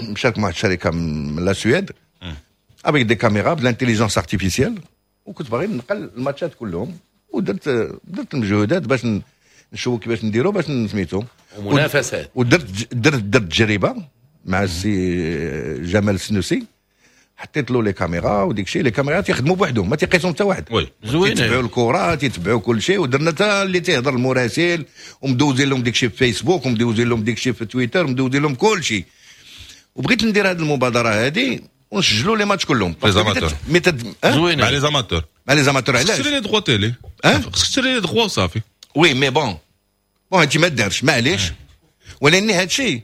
مشارك مع واحد الشركة من la Suède avec des caméras ب l'intelligence artificielle، وكنت باغي نقل الماتشات كلهم، ودرت درت المجهودات باش نشوفوا كيفاش نديروا باش نسميتو ومنافسات، ودرت درت درت تجربه مع السي جمال السنوسي، حطيت له les caméras وديك الشيء. les caméras تيخدموا بوحدهم، ما تيقيسهم حتى واحد، oui زوين، تيتبعوا الكره، تيتبعوا كل شيء. ودرنا حتى اللي تيهضر المراسل، ومدوزين لهم ديك الشيء في فيسبوك، ومدوزين لهم ديك الشيء في تويتر، ومدوزين لهم كل شيء. وبغيت ندير هذه المبادرة هذه ونسجلوا les matchs كلهم les amateurs. زوينة مع les amateurs، مع les amateurs. علاش؟ تشري les droits télé، خصك تشري les droits وصافي. oui mais bon bon هادشي ما دارش، معليش، ولكن هادشي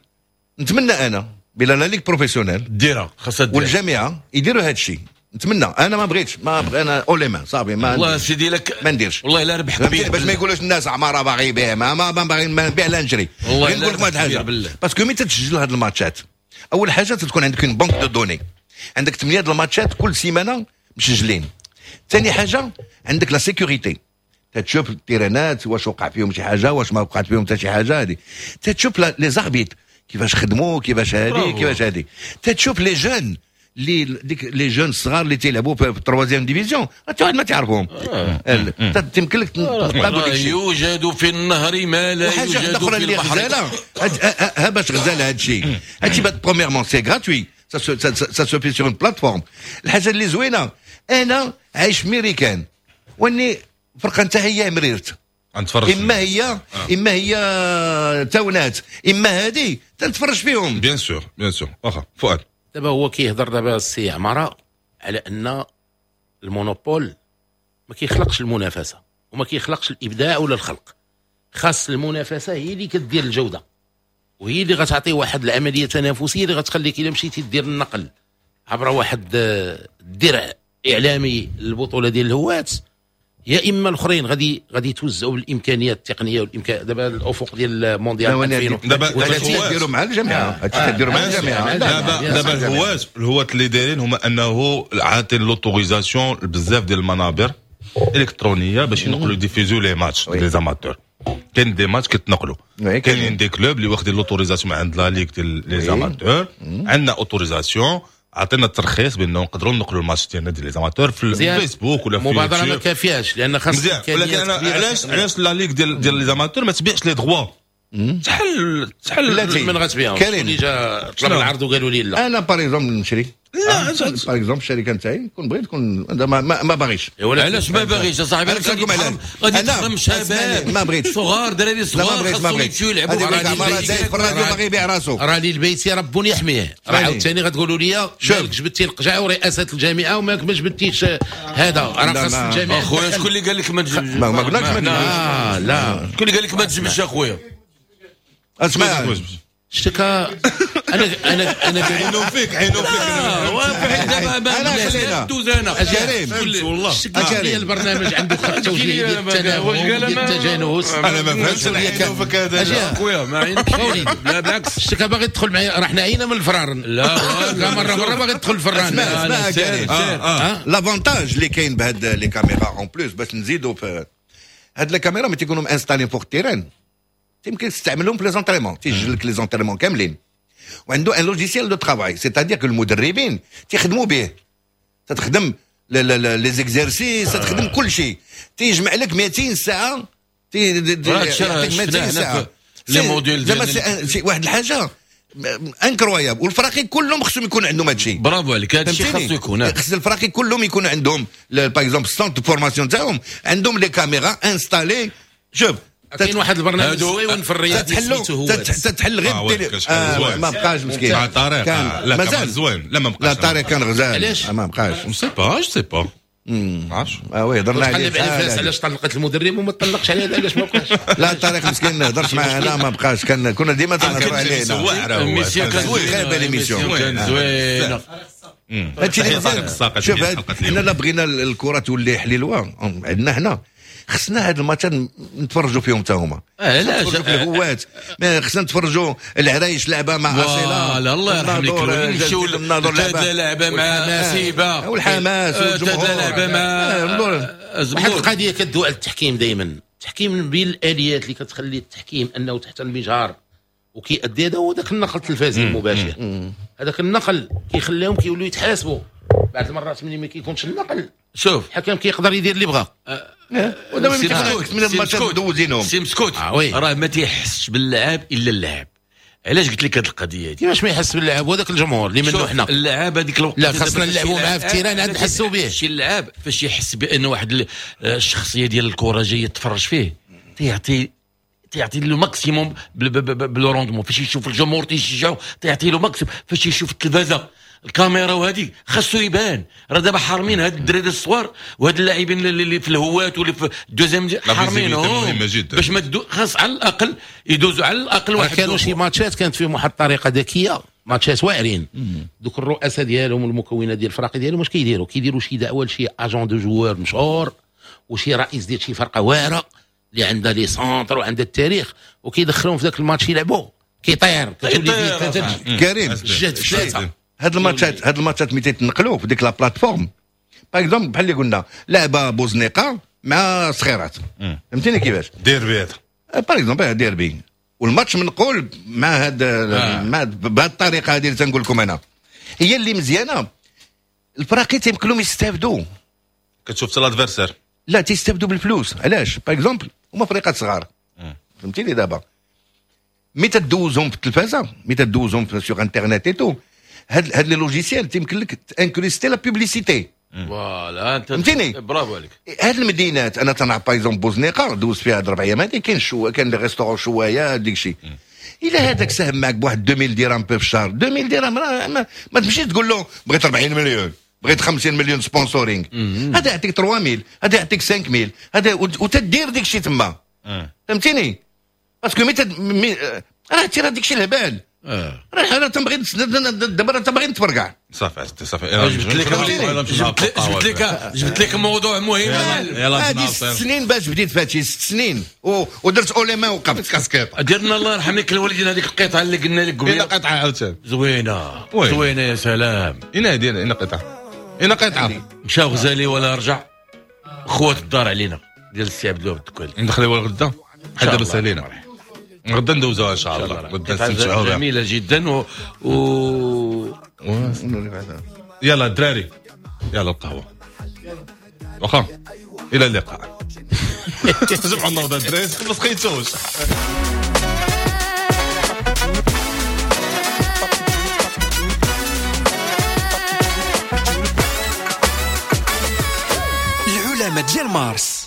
نتمنى انا بلا la ligue professionnelle ديرها، خاصها ديرها، والجامعة يديروا هادشي. نتمنى، انا ما بغيتش، ما بغي انا اوليما صافي، ما والله سيدي لك ما نديرش، والله الا ربح كبير، باش ما يقولوش الناس عمارة باغي يبيع، ما ما باغي نبيع لا نجري. والله نقول لك واحد الحاجة، parce que ملي تتسجل هاد الماتشات، اول حاجة تكون عندك une banque de données، عندك ثمانية د الماتشات كل سيمانه مسجلين. ثاني حاجة عندك la sécurité، تتشوف التيرانات واش وقع فيهم شي حاجة، واش ما وقعت فيهم حتى شي حاجة. هذه تتشوف les arbitres كيفاش خدموا، كيفاش هادي كيفاش هادي. تتشوف les jeunes اللي ديك les jeunes الصغار اللي تيلعبوا في ال troisième division، حتى واحد ما تعرفهم، تيمكن لك يوجد في النهر ما لا يوجد في البحر. اللي غزاله ها باش غزاله هادشي هادشي premièrement c'est gratuit، ça se fait sur une plateforme. الحاجة اللي زوينة، انا عايش في ميريكان، واني الفرقة نتاعي هي مريرت، نتفرج اما هي آه. اما هي تاونات، اما هادي تنتفرج فيهم. bien sûr bien sûr. واخا فؤاد، دابا هو كيهضر دابا السي عمارة على ان ال monopole ما كيخلقش المنافسة وما كيخلقش الابداع ولا الخلق. خاص المنافسة هي اللي كدير الجودة، وهي اللي غتعطي واحد العملية تنافسية اللي غتخليك الا مشيتي دير النقل عبر واحد الدرع اعلامي للبطولة ديال الهوات، يا اما الاخرين غادي غادي يتوزعوا بالامكانيات التقنية والامكان. دابا الافق ديال المونديال ألفين دابا هادشي كديروا مع الجامعة، هادشي كديروا مع الجامعة. دابا دابا الهوات الهوات اللي دايرين هما انه عاطين l'autorisation بزاف ديال المنابر الالكترونية باش ينقلوا diffuser les matchs les amateurs. كاين des matchs كيتنقلوا، كاينين des clubs اللي واخدين l'autorisation عند la ligue ديال les amateurs. عندنا autorisation، عطينا الترخيص بانه نقدروا نقلوا الماتش ديالنا ديال les amateurs في الفيسبوك ولا في المبادرة ما كافياش لان خاص مزيان. ولكن انا علاش علاش la ligue ديال ديال les amateurs ما تبيعش les droits؟ شحال شحال من غتبيعهم؟ اللي جا طلب العرض وقالوا لي لا. انا par exemple نشري، لا par exemple الشركة نتاعي كون بغيت تكون ما, ما, ما باغيش. علاش ما باغيش يا صاحبي؟ غادي تخدم شباب ما بغيتش، صغار، دراري صغار خاصهم يمشيو يلعبوا. في الراديو باغي يبيع راسو، راه لي البيت رب يحميه. راه عاوتاني غتقولوا لي مالك جبدتي القجع ورئاسه الجامعة ومالك ما جبدتيش هذا، راه خاص الجامعة. اخويا شكون اللي قال لك ما تجبدش؟ ما قلناش ما تجبدش. لا شكون اللي قال لك ما تجبدش اخويا؟ اسمع اشتكى انا انا انا عينو فيك عينو فيك. انا خلينا دوز انا كريم والله اشتكى البرنامج عنده خط توجيهي ديال التناغم ديال التجانس. انا ما فهمتش عينو فيك هذا خويا، ما عينكش. لا بالعكس، اشتكى باغي تدخل معايا، راه حنا عينا من الفرارن. لا لا مرة مرة باغي تدخل الفران. اسمع كريم، l'avantage اللي كاين بهاد les caméras en plus باش نزيدو في هاد les caméras ملي تيكونوا installées فوق ال terrain يمكن تستعملهم في les entraînements، تيسجل لك les entraînements كاملين، وعنده un logiciel de travail، c'est-à-dire que المدربين تيخدموا به، تتخدم les exercices، تخدم كل شيء، تيجمع لك مئتين ساعة، تي مئتين ساعة les modules. زعما واحد الحاجة incroyable. والفراقي كلهم خصهم يكون عندهم هادشي. برافو عليك، هادشي خاصو يكون، خص الفراقي كلهم يكون عندهم par exemple centre formation تاعهم عندهم les caméras installées. شوف كاين واحد البرنامج زوين في الرياض سميتو هو تتحل غير بالتلي... آه ما بقاش مسكين مع طارق. لا مازال زوين. لا ما بقاش. لا طارق كان غزال ما بقاش. sais pas je sais pas ما عرفتش. اه oui هضرنا عليه. علاش طلقت المدرب وما طلقش عليه؟ علاش ما بقاش؟ لا طارق مسكين هضرت معاه، لا ما بقاش. كان كنا ديما تنهضروا عليه. كان زوين l'émission كان زوين. هادشي اللي مزيان. شوف حنا لا بغينا الكره تولي حليلوه عندنا حنا خصنا هاد الماتشات نتفرجوا فيهم حتى هما. علاش في الهوات خصنا نتفرجوا العرايش لعبه مع اصيلة. لا الله يرحم لك نمشيو الناظور لعبه مع سيبه والحماس والجمهور لعبه مع واحد القضية كدوي على التحكيم دائما. التحكيم من بين الاليات اللي كتخلي التحكيم انه تحت المجهر وكيأدي. هذا هو ذاك النقل التلفزيوني المباشر، هذاك النقل كيخليهم كيولوا يتحاسبوا. بعض المرات ملي ما كيكونش النقل شوف الحكم كيقدر يدير اللي بغا. ودابا من الماتشات دوزينهم سي مسكوت راه ما تيحسش باللاعب الا اللاعب. علاش قلت لك هذه القضية هذه؟ كيفاش ما يحس باللاعب وهذاك الجمهور اللي منه حنا اللاعب هذيك الوقت لا خاصنا نلعبوا معاه في ال terrain عاد نحسوا به. شي اللاعب فاش يحس بان واحد الشخصية ديال الكره جاية تفرج فيه تيعطي تيعطي le maximum ب le rendement. فاش يشوف الجمهور تيشجعو تيعطي le maximum. فاش يشوف التلفازه الكاميرا وهذه خاصو يبان. راه دابا حارمين هاد الدراري الصغار وهاد اللاعبين اللي في الهوات واللي في ال deuxième حارمينهم باش ما خاص على الاقل يدوزوا على الاقل واحد. كانوا شي ماتشات كانت فيهم واحد الطريقة ذكية، ماتشات واعرين دوك الرؤساء ديالهم والمكونات ديال الفرق ديالهم واش كيديروا؟ كيديروا شي دعوه لشي agent de joueurs مشهور وشي رئيس ديال شي فرقه واعرة اللي عندها les centres وعندها التاريخ، وكيدخلوهم في ذاك الماتش يلعبوا كيطير كتولي كريم الجهد في ثلاثة. هاد الماتشات هاد الماتشات ملي تيتنقلوا في ديك la plateforme par exemple بحال اللي قلنا لعبه بوزنيقه مع صخيرات، فهمتيني كيفاش؟ ديربي هذا par exemple derby، والماتش منقول مع هاد آه. مع بهاد الطريقة هذه اللي تنقول لكم انا هي اللي مزيانه. الفراقي تيمكن لهم يستافدوا، كتشوف حتى l'adversaire لا تيستافدوا بالفلوس. علاش؟ par exemple هما فريقات صغار، فهمتيني دابا ملي تدوزهم في التلفازه ملي تدوزهم في sur internet et tout هاد هاد les logiciels تيمكن لك incruster la publicité. voilà انت فهمتيني؟ برافو عليك. هاد المدينات انا تنعرف par exemple بوزنيقه دوز فيها هاد ربع ايام هادي كاين شو كاين les restaurants شوايه ديك الشيء. الا هذاك ساهم معك بواحد ألفين درهم في الشهر، ألفين درهم راه ما, ما تمشيش تقول له بغيت أربعين مليون بغيت خمسين مليون sponsoring، هذا يعطيك ثلاثة آلاف هذا يعطيك خمسة آلاف هذا وتدير ديك الشيء تما، فهمتيني؟ parce que مي راه تيرا ديك الشيء الهبال. اه راه انا تنبغي دابا تنبغي نتفرقع. صافي صافي جبت لك جبت لك جبت لك موضوع مهم. هذه ست سنين باش بديت فاتشي ست سنين ودرت اوليما وقفت كاسكيط. درنا الله يرحم لك الوالدين هذيك القطعة اللي قلنا لك قبيلة قطعه عاوتاني زوينة زوينة يا سلام. اين هذه اين قطعه اين قطعه مشى غزالي ولا رجع خوات الدار علينا ديال السي عبد الوهاب الدكالي. ندخلوا غدا حتى دابا سالينا غدا ندوزوها ان شاء الله. غدا نستمتعوا بها جميلة جدا و, و... يلا الدراري يلا القهوة واخا الى اللقاء. جمعوا النهضة الدراري ما سقيتوش. العلماء ديال مارس.